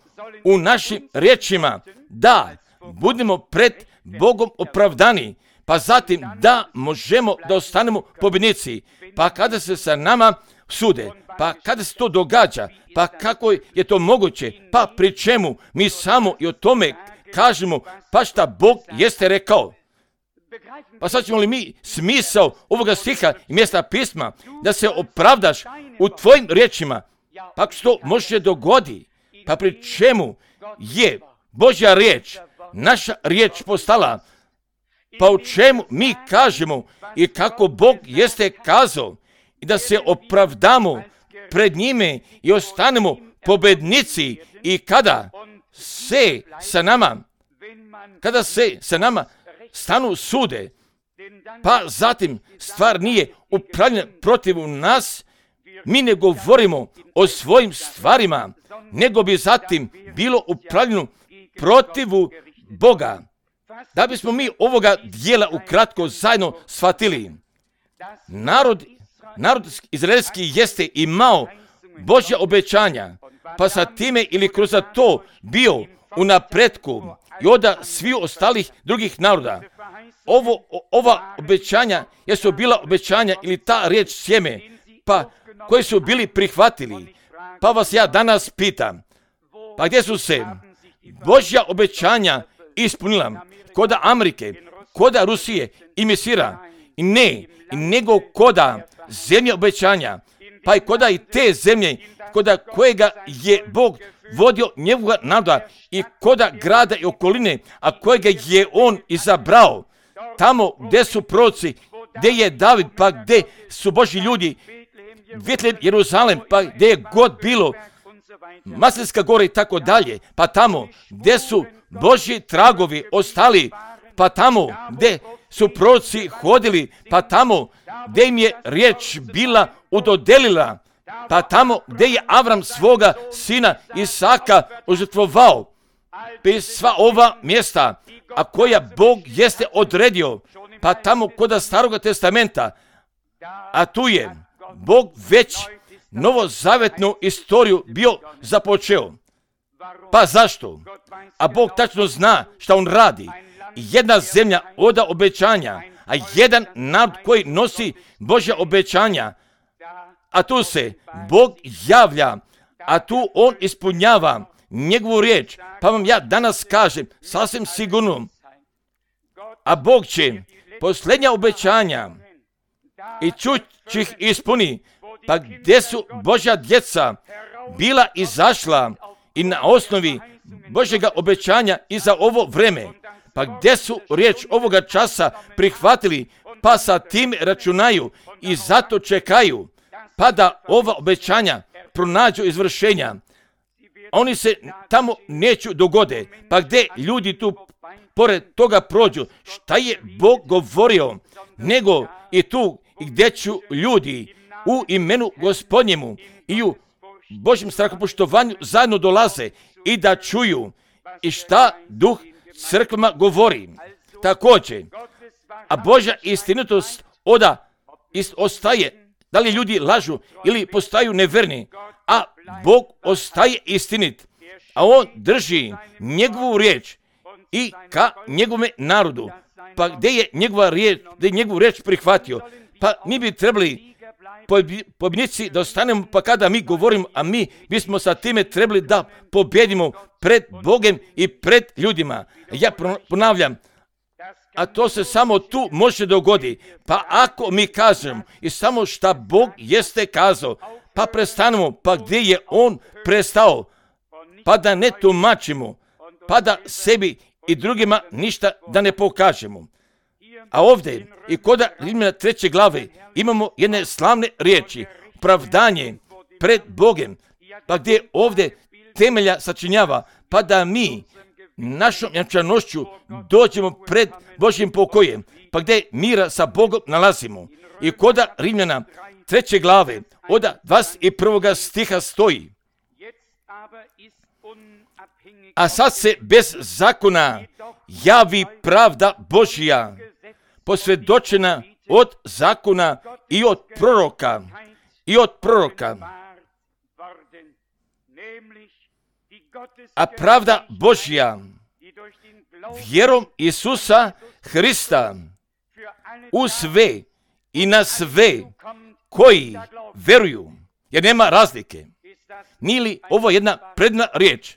u našim riječima da budemo pred Bogom opravdani, pa zatim da možemo da ostanemo pobjednici. Pa kada se sa nama sude, pa kada se to događa, pa kako je to moguće, pa pri čemu mi samo i o tome kažemo, pa šta Bog jeste rekao. Pa sad ćemo li mi smisao ovoga stiha i mjesta pisma da se opravdaš u tvojim riječima, pa što to može dogodi, pa pri čemu je Božja riječ, naša riječ postala, pa u čemu mi kažemo i kako Bog jeste kazao i da se opravdamo pred njime i ostanemo pobjednici i kada se sa nama stanu sude, pa zatim stvar nije upravljena protiv nas, mi ne govorimo o svojim stvarima, nego bi zatim bilo upravljeno protivu Boga. Da bismo mi ovoga dijela ukratko zajedno shvatili, narod izraelski jeste imao Božja obećanja, pa sa time ili kroz to bio u napretku i od svih ostalih drugih naroda. Ova obećanja jesu bila obećanja ili ta riječ sjeme, pa koji su bili prihvatili. Pa vas ja danas pitam, pa gdje su se Božja obećanja ispunila? Koda Amerike, koda Rusije i Misira, i ne, nego koda zemlje obećanja, pa i koda i te zemlje, koda kojega je Bog vodio njegovoga naroda i koda grada i okoline, a kojega je on izabrao. Tamo gdje su proroci, gdje je David, pa gdje su Božji ljudi, Betlehem, Jeruzalem, pa gdje je god bilo, Maslinska gora i tako dalje, pa tamo gdje su Božji tragovi ostali, pa tamo gdje su proroci hodili, pa tamo gdje im je riječ bila udodelila, pa tamo gdje je Avram svoga sina Isaka užrtvovao, sva ova mjesta, a koja Bog jeste odredio, pa tamo kod Staroga testamenta, a tu je Bog već novozavetnu istoriju bio započeo. Pa zašto? A Bog tačno zna šta on radi. Jedna zemlja oda obećanja, a jedan narod koji nosi Božja obećanja, a tu se Bog javlja, a tu on ispunjava njegovu riječ. Pa vam ja danas kažem, sasvim sigurno, a Bog će posljednja obećanja i čući ih ispuni. Pa gdje su Božja djeca bila izašla i na osnovi Božjega obećanja i za ovo vreme, pa gdje su riječ ovoga časa prihvatili, pa sa tim računaju i zato čekaju, pa da ova obećanja pronađu izvršenja. Oni se tamo neću dogode, pa gdje ljudi tu pored toga prođu, šta je Bog govorio, nego i tu i gdje ću ljudi u imenu Gospodnjemu i u Božjem strahopoštovanju zajedno dolaze i da čuju i šta Duh crkvama govori. Također, a Božja istinitost ostaje, da li ljudi lažu ili postaju neverni, a Bog ostaje istinit, a on drži njegovu riječ i ka njegovome narodu. Pa gdje je njegovu riječ prihvatio? Pa mi bi trebali pobjednici da ostanemo, pa kada mi govorimo, a mi bismo sa time trebali da pobjedimo pred Bogom i pred ljudima. Ja ponavljam, a to se samo tu može dogoditi. Pa ako mi kažemo i samo šta Bog jeste kazao, pa prestanemo, pa gdje je on prestao, pa da ne tumačimo, pa da sebi i drugima ništa da ne pokažemo. A ovdje i kod Rimljana 3. glave imamo jedne slavne riječi, opravdanje pred Bogom, pa gdje ovdje temelja sačinjava, pa da mi našom jančanošću dođemo pred Božjim pokojem, pa gdje mira sa Bogom nalazimo. I kod Rimljana 3. glave od 21. stiha stoji: a sad se bez zakona javi pravda Božja, posvjedočena od zakona i od proroka. A pravda Božja vjerom Isusa Hrista u sve i na sve koji veruju, jer nema razlike. Nije li ovo jedna predna riječ?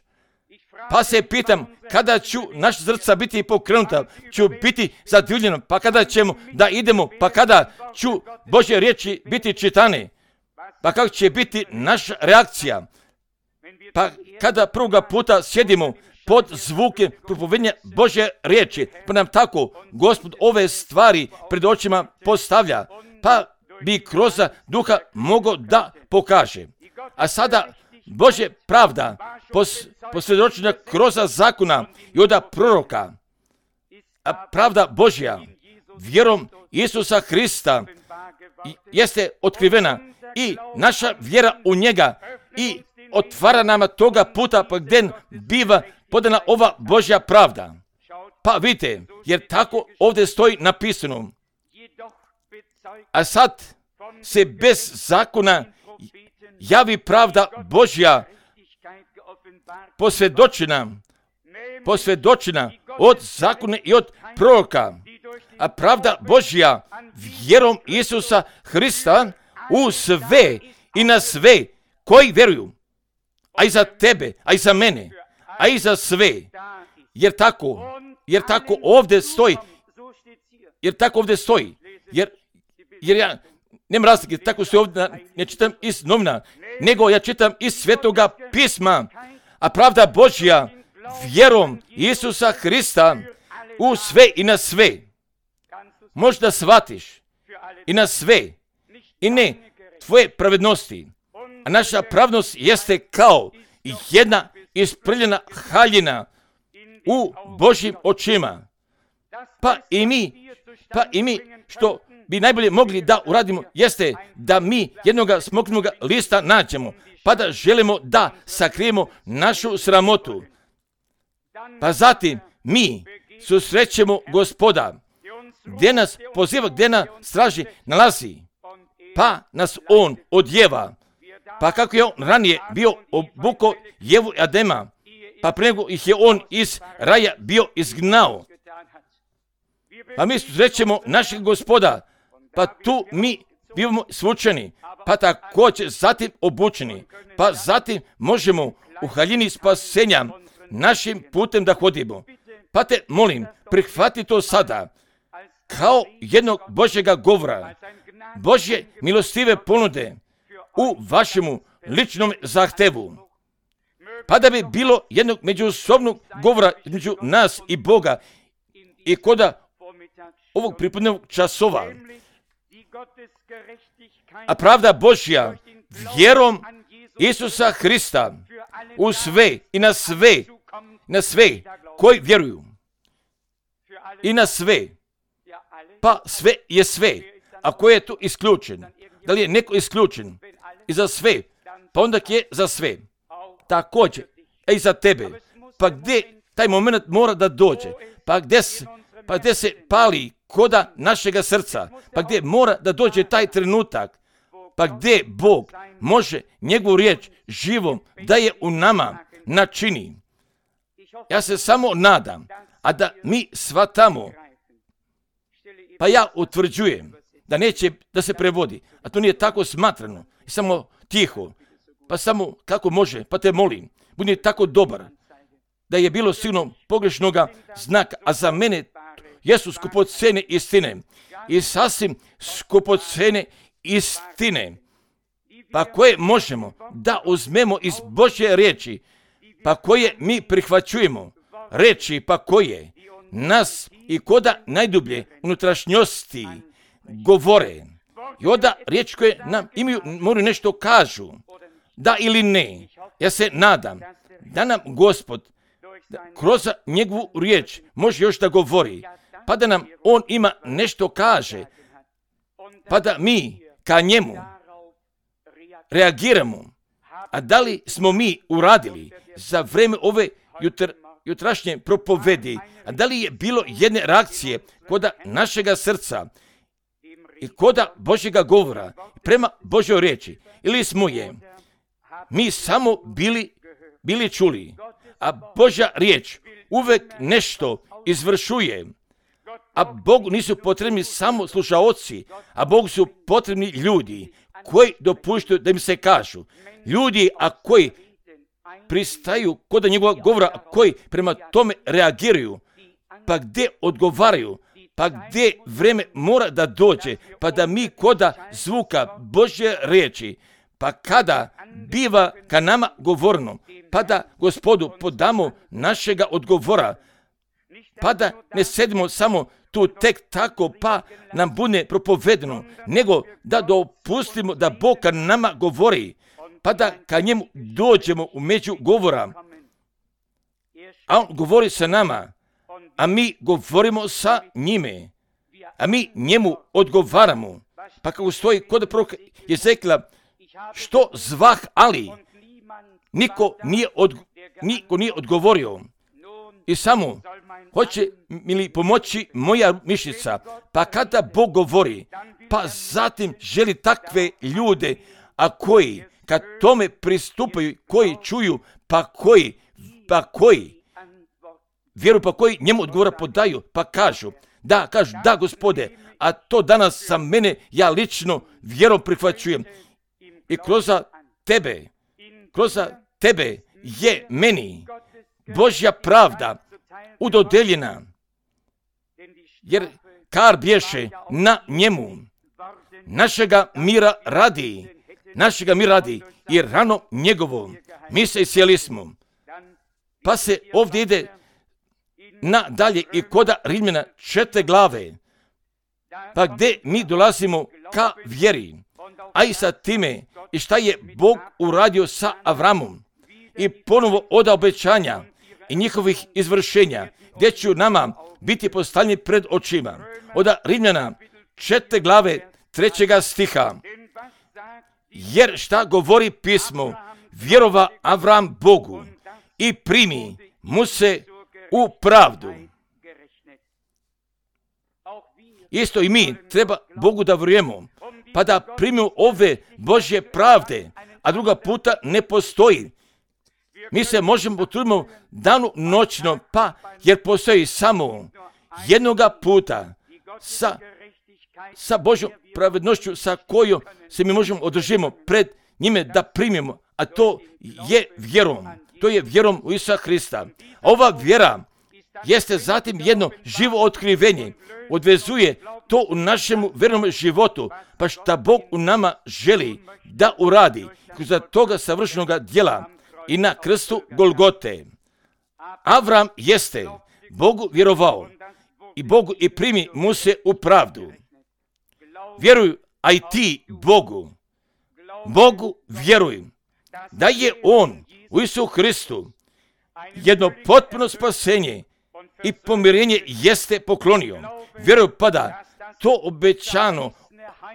Pa se pitam, kada ću naša srca biti pokrenuta, ću biti zadivljena, pa kada ćemo da idemo, pa kada ću Božje riječi biti čitane, pa kako će biti naša reakcija? Pa kada prvoga puta sjedimo pod zvuke propovedanja Božje riječi, pa nam tako Gospod ove stvari pred očima postavlja, pa bi kroz duha mogao da pokaže. A sada Božja pravda posvjedočena kroz zakona i od proroka, a pravda Božja vjerom Isusa Hrista jeste otkrivena i naša vjera u njega i otvara nama toga puta pa gdje biva podana ova Božja pravda. Pa vidite, jer tako ovdje stoji napisano. A sad se bez zakona javi pravda Božja posvjedočena posvjedočena od zakona i od proroka, a pravda Božja vjerom Isusa Hrista u sve i na sve koji vjeruju, a i za tebe, a i za mene, a i za sve, jer tako ovdje stoji, jer ja nema razlike, tako se ovdje ne čitam iz novina, nego ja čitam iz Svetoga pisma, a pravda Božja vjerom Isusa Hrista u sve i na sve. Možda shvatiš i na sve i ne tvoje pravednosti, a naša pravednost jeste kao jedna isprljena haljina u Božjim očima. Pa i mi što bi najbolje mogli da uradimo jeste da mi jednoga smokvinog lista nađemo, pa da želimo da sakrijemo našu sramotu. Pa zatim mi susrećemo Gospoda, gdje nas poziva, gdje nas straži nalazi, pa nas on odjeva. Pa kako je on ranije bio obukao Jevu i Adema, pa prije nego ih je on iz raja bio izgnao. Pa mi susrećemo našeg Gospoda, pa tu mi bivamo svučeni, pa također zatim obučeni, pa zatim možemo u haljini spasenja našim putem da hodimo. Pa te molim, prihvati to sada kao jednog Božjega govora, Božje milostive ponude u vašemu ličnom zahtevu. Pa da bi bilo jednog međusobnog govora između nas i Boga i koda ovog pripodnevnog časova. A pravda Božja vjerom Isusa Hrista u sve i na sve koji vjeruju. I na sve. Pa sve je sve. A ko je tu isključen? Da li je neko isključen? I za sve. Pa onda je za sve. Također. I za tebe. Pa gdje taj moment mora da dođe? Pa gdje se pali koda našega srca? Pa gdje mora da dođe taj trenutak? Pa gdje Bog može njegovu riječ živom da je u nama načini? Ja se samo nadam, a da mi shvatamo, pa ja utvrđujem da neće da se prevodi, a to nije tako smatrano, i samo tiho, pa samo kako može, pa te molim, budi tako dobar, da je bilo sigurno pogrešnoga znaka, a za mene jesu skupocene istine i sasvim skupocene istine, pa koje možemo da uzmemo iz Božje riječi, pa koje mi prihvaćujemo, reči pa koje nas i koda najdublje unutrašnjosti govore. I onda riječi koje nam imaju, moraju nešto kažu, da ili ne. Ja se nadam da nam Gospod kroz njegovu riječ može još da govori, pa da nam on ima nešto kaže, pa da mi ka njemu reagiramo. A da li smo mi uradili za vreme ove jutrašnje propovedi, a da li je bilo jedne reakcije koda našega srca i koda Božjega govora prema Božjoj riječi, ili smo je mi samo bili čuli, a Božja riječ uvek nešto izvršuje, a Bogu nisu potrebni samo slušaoci, a Bogu su potrebni ljudi koji dopuštaju da im se kažu. Ljudi, a koji pristaju kod njegova govora, a koji prema tome reagiraju, pa gdje odgovaraju, pa gdje vreme mora da dođe, pa da mi koda zvuka Božje riječi, pa kada biva ka nama govorno, pa da Gospodu podamo našega odgovora, pa da ne sedimo samo tu tek tako pa nam bude propovedeno, nego da dopustimo da Bog ka nama govori, pa da ka njemu dođemo u među govora, a on govori sa nama, a mi govorimo sa njime, a mi njemu odgovaramo. Pa kako stoji kod proroka Jezekila, što zvah, ali niko nije odgovorio. I samo hoće mi li pomoći moja mišica, pa kada Bog govori, pa zatim želi takve ljude, a koji kad tome pristupaju, koji čuju, pa koji vjeru pa koji njemu odgovora podaju, pa kažu, da Gospode, a to danas sa mene, ja lično vjerom prihvaćujem. I kroz tebe je meni Božja pravda udodeljena, jer kar bješe na njemu, našega mira radi i rano njegovo, mi se isjeli smo. Pa se ovdje ide nadalje i koda Rimljana 4. glave, pa gdje mi dolazimo ka vjeri, a i sa time i šta je Bog uradio sa Avramom i ponovo od obećanja i njihovih izvršenja, gdje će nama biti postavljeni pred očima. Od Rimljana 4. glave 3. stiha. Jer šta govori pismo? Vjerova Avram Bogu i primi mu se u pravdu. Isto i mi treba Bogu da vjerujemo, pa da primimo ove Božje pravde, a druga puta ne postoji. Mi se možemo potruditi danu noćno, pa jer postoji samo jednoga puta sa Božjom pravednošću sa kojom se mi možemo održimo pred njime da primimo, a to je vjerom. To je vjerom u Isusa Hrista. Ova vjera jeste zatim jedno živo otkrivenje, odvezuje to u našem vjernom životu, pa šta Bog u nama želi da uradi kroz toga savršenog djela i na krstu Golgote. Avram jeste Bogu vjerovao i Bogu i primi mu se u pravdu. Vjeruj, a i ti Bogu vjeruj, da je On u Isusu Hristu jedno potpuno spasenje i pomirenje jeste poklonio. Vjeruj pa da to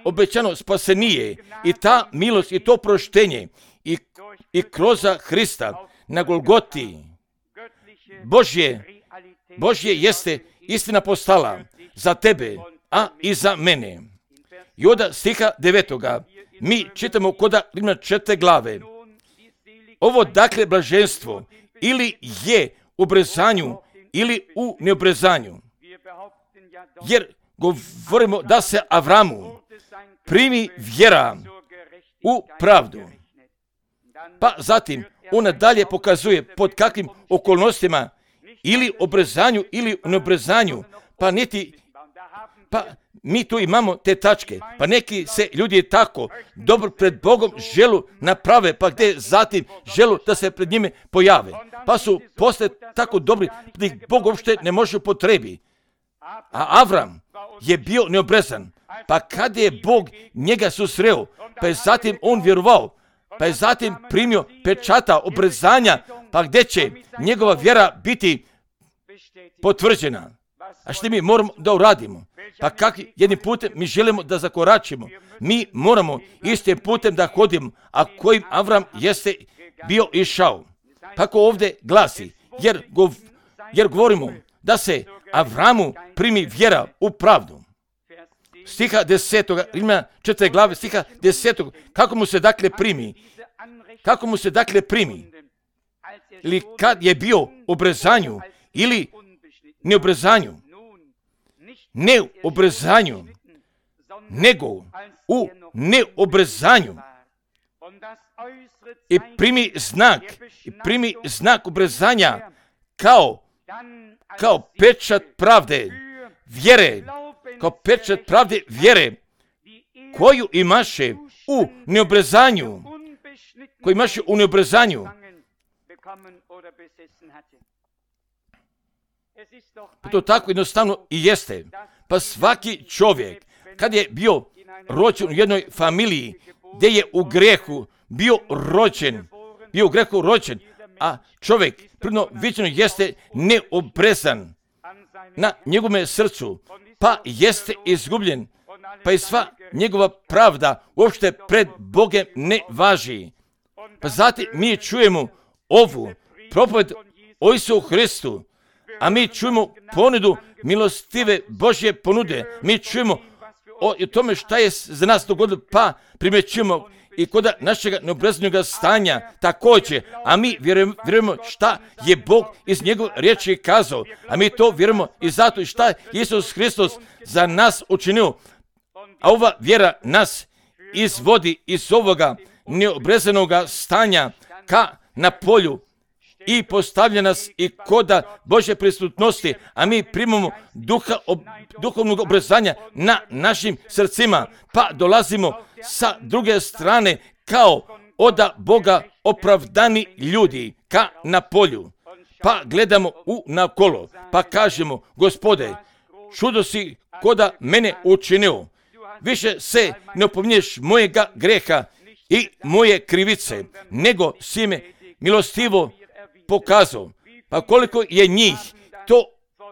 obećano spasenije i ta milost i to proštenje i kroz Hrista na Golgoti Božje jeste istina postala za tebe, a i za mene. I od stiha 9. mi čitamo koda Rimljana 4. glave. Ovo dakle blaženstvo ili je u obrezanju ili u neobrezanju. Jer govorimo da se Avramu primi vjera u pravdu. Pa zatim on dalje pokazuje pod kakvim okolnostima ili obrezanju ili u neobrezanju, pa mi tu imamo te tačke, pa neki se ljudi tako dobro pred Bogom želu naprave, pa gdje zatim želu da se pred njime pojave, pa su poslije tako dobri da ih Bog uopšte ne može upotrebi. A Avram je bio neobrezan, pa kad je Bog njega susreo, pa je zatim on vjerovao, pa je zatim primio pečata obrezanja, pa gdje će njegova vjera biti potvrđena. A što mi moramo da uradimo? Pa kakvi jednim putem mi želimo da zakoračimo? Mi moramo istim putem da hodimo, a kojim Avram jeste bio išao. Kako ovdje glasi, jer govorimo da se Avramu primi vjera u pravdu. Stiha 10. Rimljana 4. glave, stiha 10. Kako mu se dakle primi? Kako mu se dakle primi? Ili kad je bio u obrezanju ili neobrezanju? Ne u obrezanju, nego u neobrezanju. I primi znak obrezanja kao pečat pravde vjere, koju imaše u neobrezanju, Pa to tako jednostavno i jeste. Pa svaki čovjek, kad je bio rođen u jednoj familiji, gdje je u grehu bio rođen, a čovjek prvno viđeno jeste neobrezan na njegovom srcu, pa jeste izgubljen, pa i sva njegova pravda uopšte pred Bogem ne važi. Pa zatim mi čujemo ovu propoved o Isusu Hristu, a mi čujemo ponudu milostive Božje ponude. Mi čujemo o tome šta je za nas dogodilo, pa primjećujemo i kod našega neobrezanog stanja također, a mi vjerujemo šta je Bog iz njegove riječi kazao, a mi to vjerujemo i zato šta je Isus Hristos za nas učinio, a ova vjera nas izvodi iz ovoga neobrezanog stanja ka na polju i postavlja nas i koda Božje prisutnosti, a mi primamo duhovnog obrezanja na našim srcima, pa dolazimo sa druge strane kao od Boga opravdani ljudi ka na polju, pa gledamo nakolo, pa kažemo, Gospode, čudo si koda mene učinio, više se ne opominješ mojega greha i moje krivice, nego si me milostivo pokazao. Pa koliko je njih to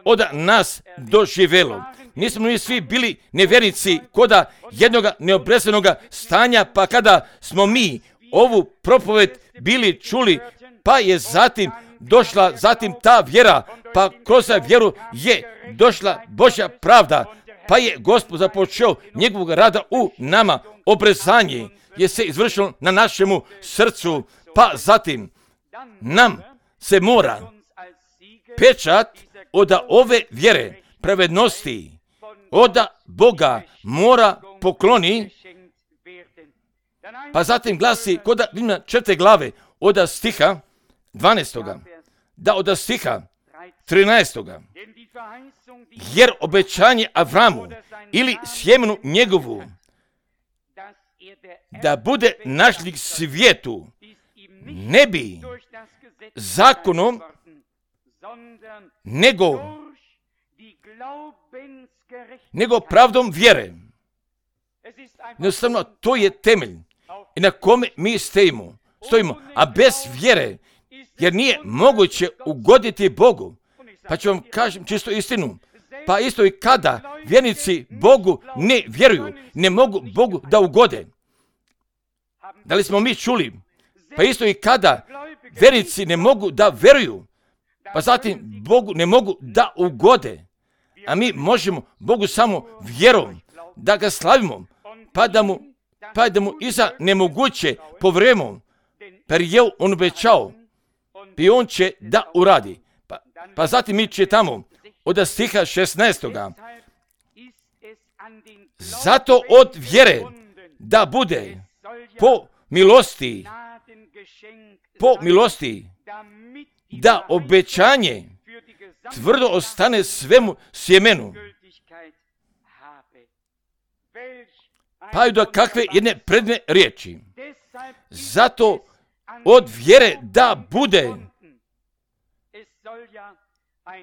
od nas doživjelo. Nismo mi svi bili nevjernici koda jednoga neobrezanog stanja, pa kada smo mi ovu propoved bili čuli, pa je zatim došla ta vjera, pa kroz vjeru je došla Božja pravda, pa je Gospod započeo njegovog rada u nama. Obrezanje je se izvršilo na našemu srcu, pa zatim nam se mora pečat od ove vjere pravednosti od Boga mora pokloni, pa zatim glasi kod Rimljana 4. glave od stiha 12. da od stiha 13. Jer obećanje Avramu ili sjemenu njegovu da bude našlik svijetu ne bi zakonom nego pravdom vjere. Jednostavno, to je temelj i na kome mi stojimo, a bez vjere, jer nije moguće ugoditi Bogu. Pa ću vam kažem čisto istinu. Pa isto i kada vjernici Bogu ne vjeruju, ne mogu Bogu da ugode. Da li smo mi čuli? Pa isto i kada vjernici ne mogu da vjeruju, pa zatim Bogu ne mogu da ugode. A mi možemo Bogu samo vjerom da ga slavimo, pa da mu iza nemoguće povjerujemo, jer je on obećao i on će da uradi. Pa zatim mi čitamo od stiha 16. Zato od vjere da bude po milosti da obećanje tvrdo ostane svemu sjemenu. Pa i do kakve jedne predne riječi. Zato od vjere da bude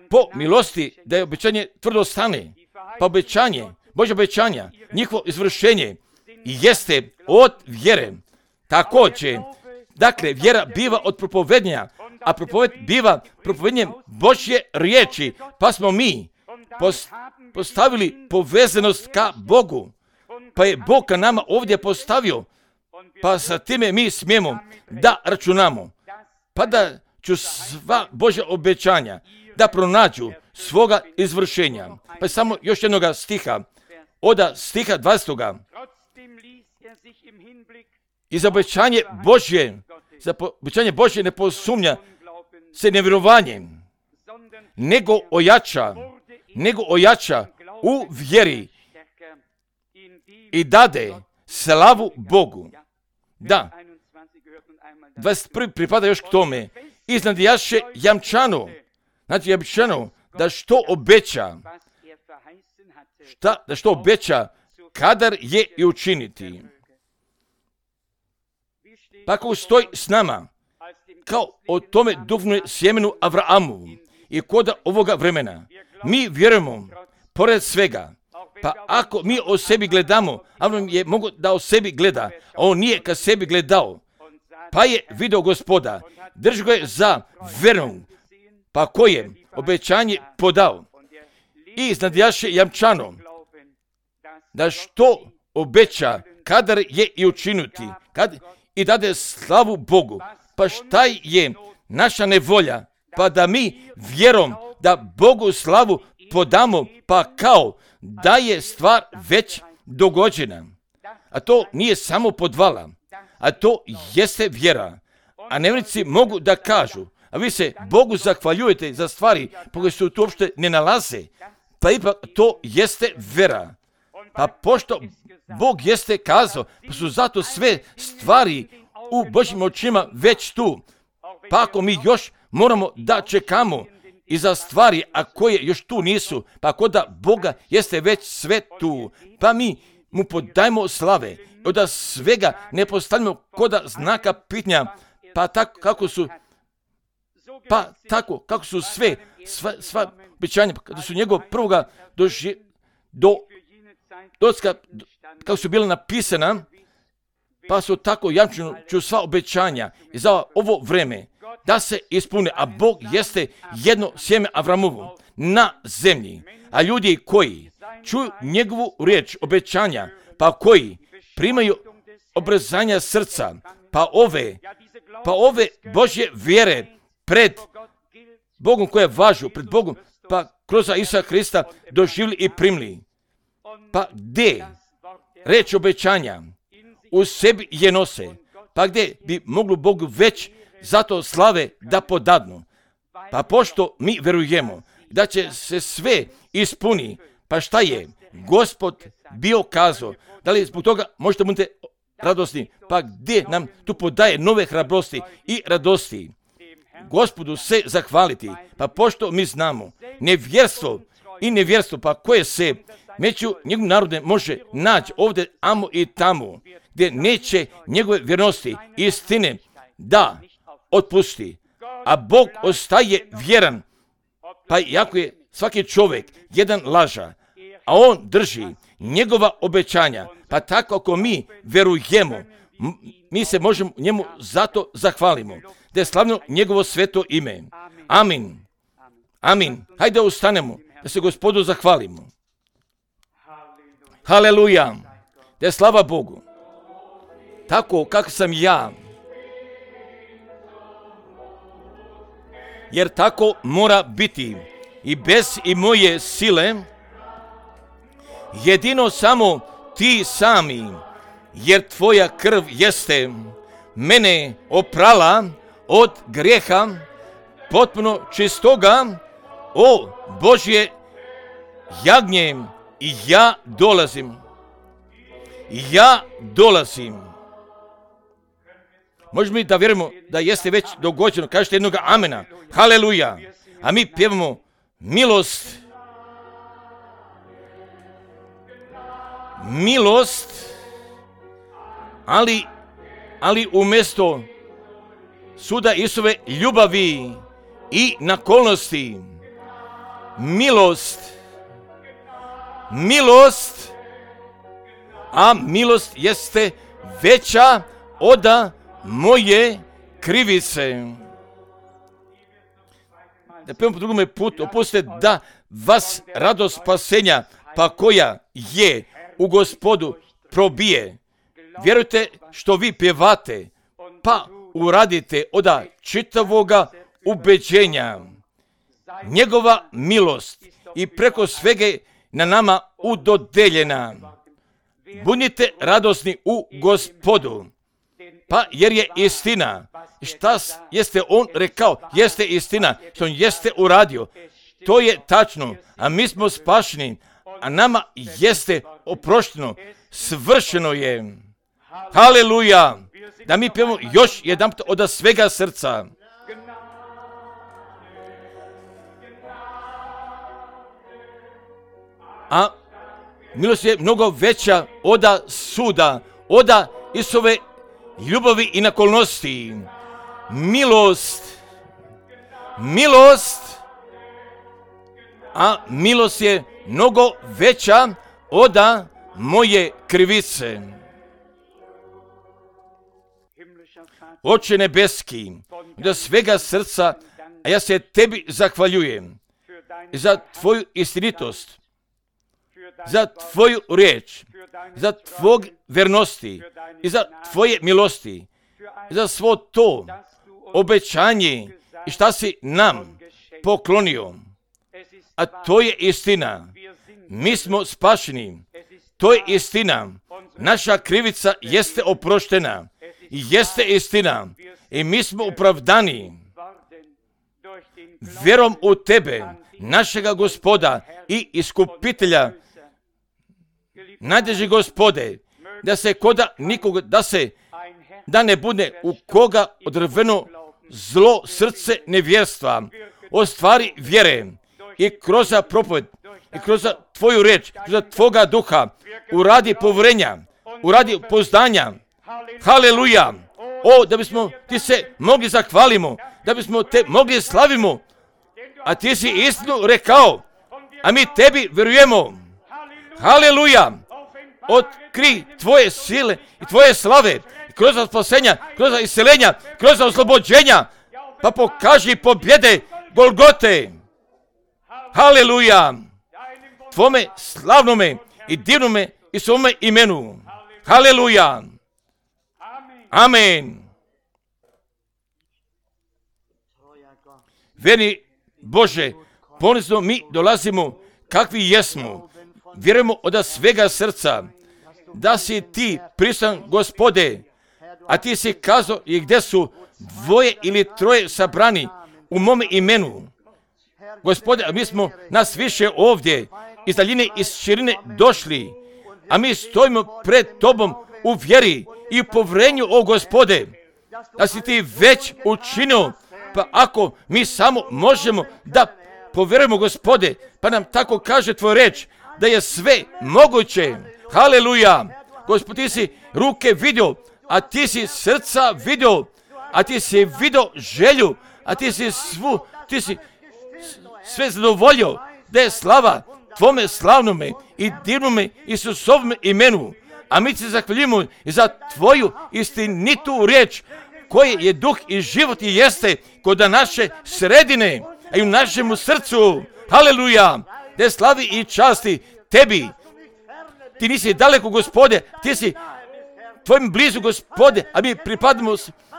po milosti da je obećanje tvrdo ostane. Pa obećanje, Božje obećanja, njihovo izvršenje jeste od vjere. Također, dakle, vjera biva od propovednja, a propoved biva propovednjem Božje riječi, pa smo mi postavili povezanost ka Bogu, pa je Bog ka nama ovdje postavio, pa sa time mi smijemo da računamo, pa da ću sva Božja obećanja da pronađu svoga izvršenja. Pa samo još jednoga stiha, od stiha 20. I za obećanje Božje ne posumnja se nevjerovanjem, nego ojača u vjeri i dade slavu Bogu. Da, 21. pripada još k tome. Iznad jaše jamčano, znači jamčano da što obeća, kadar je i učiniti. Pa ako stoji s nama, kao o tome duhovnom sjemenu Avrahamu i kod ovoga vremena, mi vjerujemo, pored svega, pa ako mi o sebi gledamo, Avram je mogo da o sebi gleda, a on nije ka sebi gledao, pa je video Gospoda, drži ga je za vernog, pa ko je obećanje podao i iznadjaše jamčano, da što obeća, kadar je i učiniti, i dade slavu Bogu. Pa šta je naša nevolja? Pa da mi vjerom da Bogu slavu podamo, pa kao da je stvar već dogođena. A to nije samo podvala, a to jeste vjera. A nevjernici mogu da kažu, a vi se Bogu zahvaljujete za stvari po koje se tu uopšte ne nalaze, pa ipak to jeste vjera. Pa pošto Bog jeste kazao, pa su zato sve stvari u Božjim očima već tu. Pa ako mi još moramo da čekamo i za stvari, a koje još tu nisu, pa ako da Boga jeste već sve tu, pa mi mu podajmo slave, da svega ne postavljamo koda znaka pitanja, pa tako kako su sva obećanja, kada su njegov prvoga kako su bila napisana, pa su tako jamčuju sva obećanja i za ovo vreme da se ispune, a Bog jeste jedno sjeme Avramovo na zemlji, a ljudi koji čuju njegovu riječ obećanja, pa koji primaju obrezanja srca, pa ove Božje vjere pred Bogom koje važu, pred Bogom, pa kroz Isusa Krista doživjeli i primili. Pa gdje reč obećanja u sebi je nose, pa gdje bi moglo Bogu već zato slave da podadnu. Pa pošto mi verujemo da će se sve ispuni, pa šta je Gospod bio kazao, da li zbog toga možete budete radosni, pa gdje nam tu podaje nove hrabrosti i radosti. Gospodu se zahvaliti, pa pošto mi znamo nevjerstvo, pa koje se među njegovim narodom može naći ovdje, amo i tamo, gdje neće njegove vjernosti i istine da otpusti, a Bog ostaje vjeran, pa iako je svaki čovjek jedan laža, a on drži njegova obećanja, pa tako ako mi verujemo, mi se možemo njemu zato zahvalimo, da je slavno njegovo sveto ime. Amin. Amin. Hajde ustanemo, da se Gospodu zahvalimo. Haleluja. Da je slava Bogu. Tako kako sam ja. Jer tako mora biti i bez i moje sile, jedino samo ti sami, jer tvoja krv jeste mene oprala od grijeha, potpuno čistoga, o Božje jagnje, i ja dolazim. Možemo mi da vjerujemo da jeste već dogođeno, kažete jednoga amena, haleluja, a mi pjevamo milost, ali umjesto suda Isove ljubavi i nakolnosti, milost, a milost jeste veća od moje krivice. Da pevamo po drugome putu, opustite da vas radost spasenja, pa koja je u Gospodu probije. Vjerujte što vi pjevate, pa uradite od čitavoga ubeđenja. Njegova milost i preko svega na nama udodeljena. Budite radosni u Gospodu, pa jer je istina. Šta jeste on rekao, jeste istina, što on jeste uradio. To je tačno, a mi smo spašeni, a nama jeste oprošteno, svršeno je. Haleluja! Da mi pijemo još jedan put od svega srca. A milost je mnogo veća od suda, od Isove ljubavi i nakolnosti. Milost, a milost je mnogo veća od moje krivice. Oče nebeski, do svega srca, a ja se tebi zahvaljujem za tvoju istinitost, za tvoju riječ, za tvog vernosti i za tvoje milosti, za svo to obećanje i šta si nam poklonio. A to je istina. Mi smo spašeni. To je istina. Naša krivica jeste oproštena. jeste istina i mi smo opravdani vjerom u Tebe, našega Gospoda i Iskupitelja. Najdraži Gospode, da se koda nikoga, da ne bude u koga odrveno zlo srce nevjerstva, o stvari vjere i kroz propoved i kroz Tvoju reč, kroz Tvoga duha, uradi povjerenja, uradi poznanja. Haleluja! O, da bismo Ti se mogli zahvalimo, da bismo Te mogli slavimo, a Ti si istinu rekao, a mi Tebi vjerujemo. Haleluja! Otkri Tvoje sile i Tvoje slave, kroz spasenja, kroz isceljenja, kroz oslobođenja, pa pokaži pobjede Golgote. Haleluja! Tvome slavnome i divnome i svome imenu. Haleluja! Amen. Vjerni Bože, ponizno mi dolazimo kakvi jesmo. Vjerujemo od svega srca da si Ti prisutan, Gospode, a Ti si kazao i gdje su dvoje ili troje sabrani u mome imenu. Gospode, mi smo nas više ovdje iz daljine, iz širine došli, a mi stojimo pred Tobom u vjeri i u povjerenju, o Gospode, da si Ti već učinio, pa ako mi samo možemo da povjerujemo, Gospode, pa nam tako kaže Tvoj reč, da je sve moguće. Haleluja! Gospod, Ti si ruke vidio, a Ti si srca vidio, a Ti si vidio želju, a Ti si sve zadovoljio, da je slava Tvome slavnome i divnome Isusovome imenu. A mi se zahvaljujemo i za Tvoju istinitu riječ, koje je duh i život i jeste kod naše sredine, a i u našemu srcu. Haleluja! Da je slavi i časti Tebi. Ti nisi daleko, Gospode, Ti si Tvojim blizu, Gospode, a mi pripadamo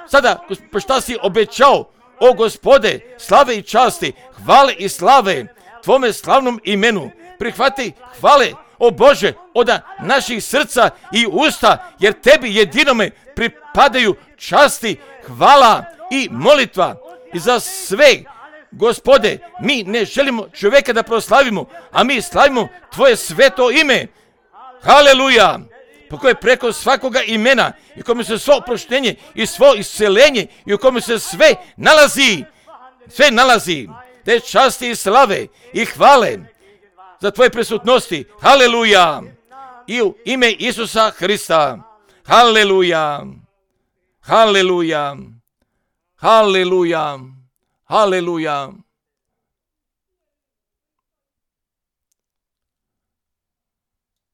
sada, pa šta si obećao, o Gospode, slave i časti, hvale i slave Tvome slavnom imenu. Prihvati hvale, o Bože, od naših srca i usta, jer Tebi jedinome pripadaju časti, hvala i molitva. I za sve, Gospode, mi ne želimo čovjeka da proslavimo, a mi slavimo Tvoje sveto ime. Haleluja! Po koje preko svakoga imena i u kome se svo oproštenje i svo isceljenje i u kome se sve nalazi, te časti i slave i hvale za Tvoje prisutnosti. Haleluja! I u ime Isusa Hrista. Haleluja! Haleluja! Haleluja! Haleluja!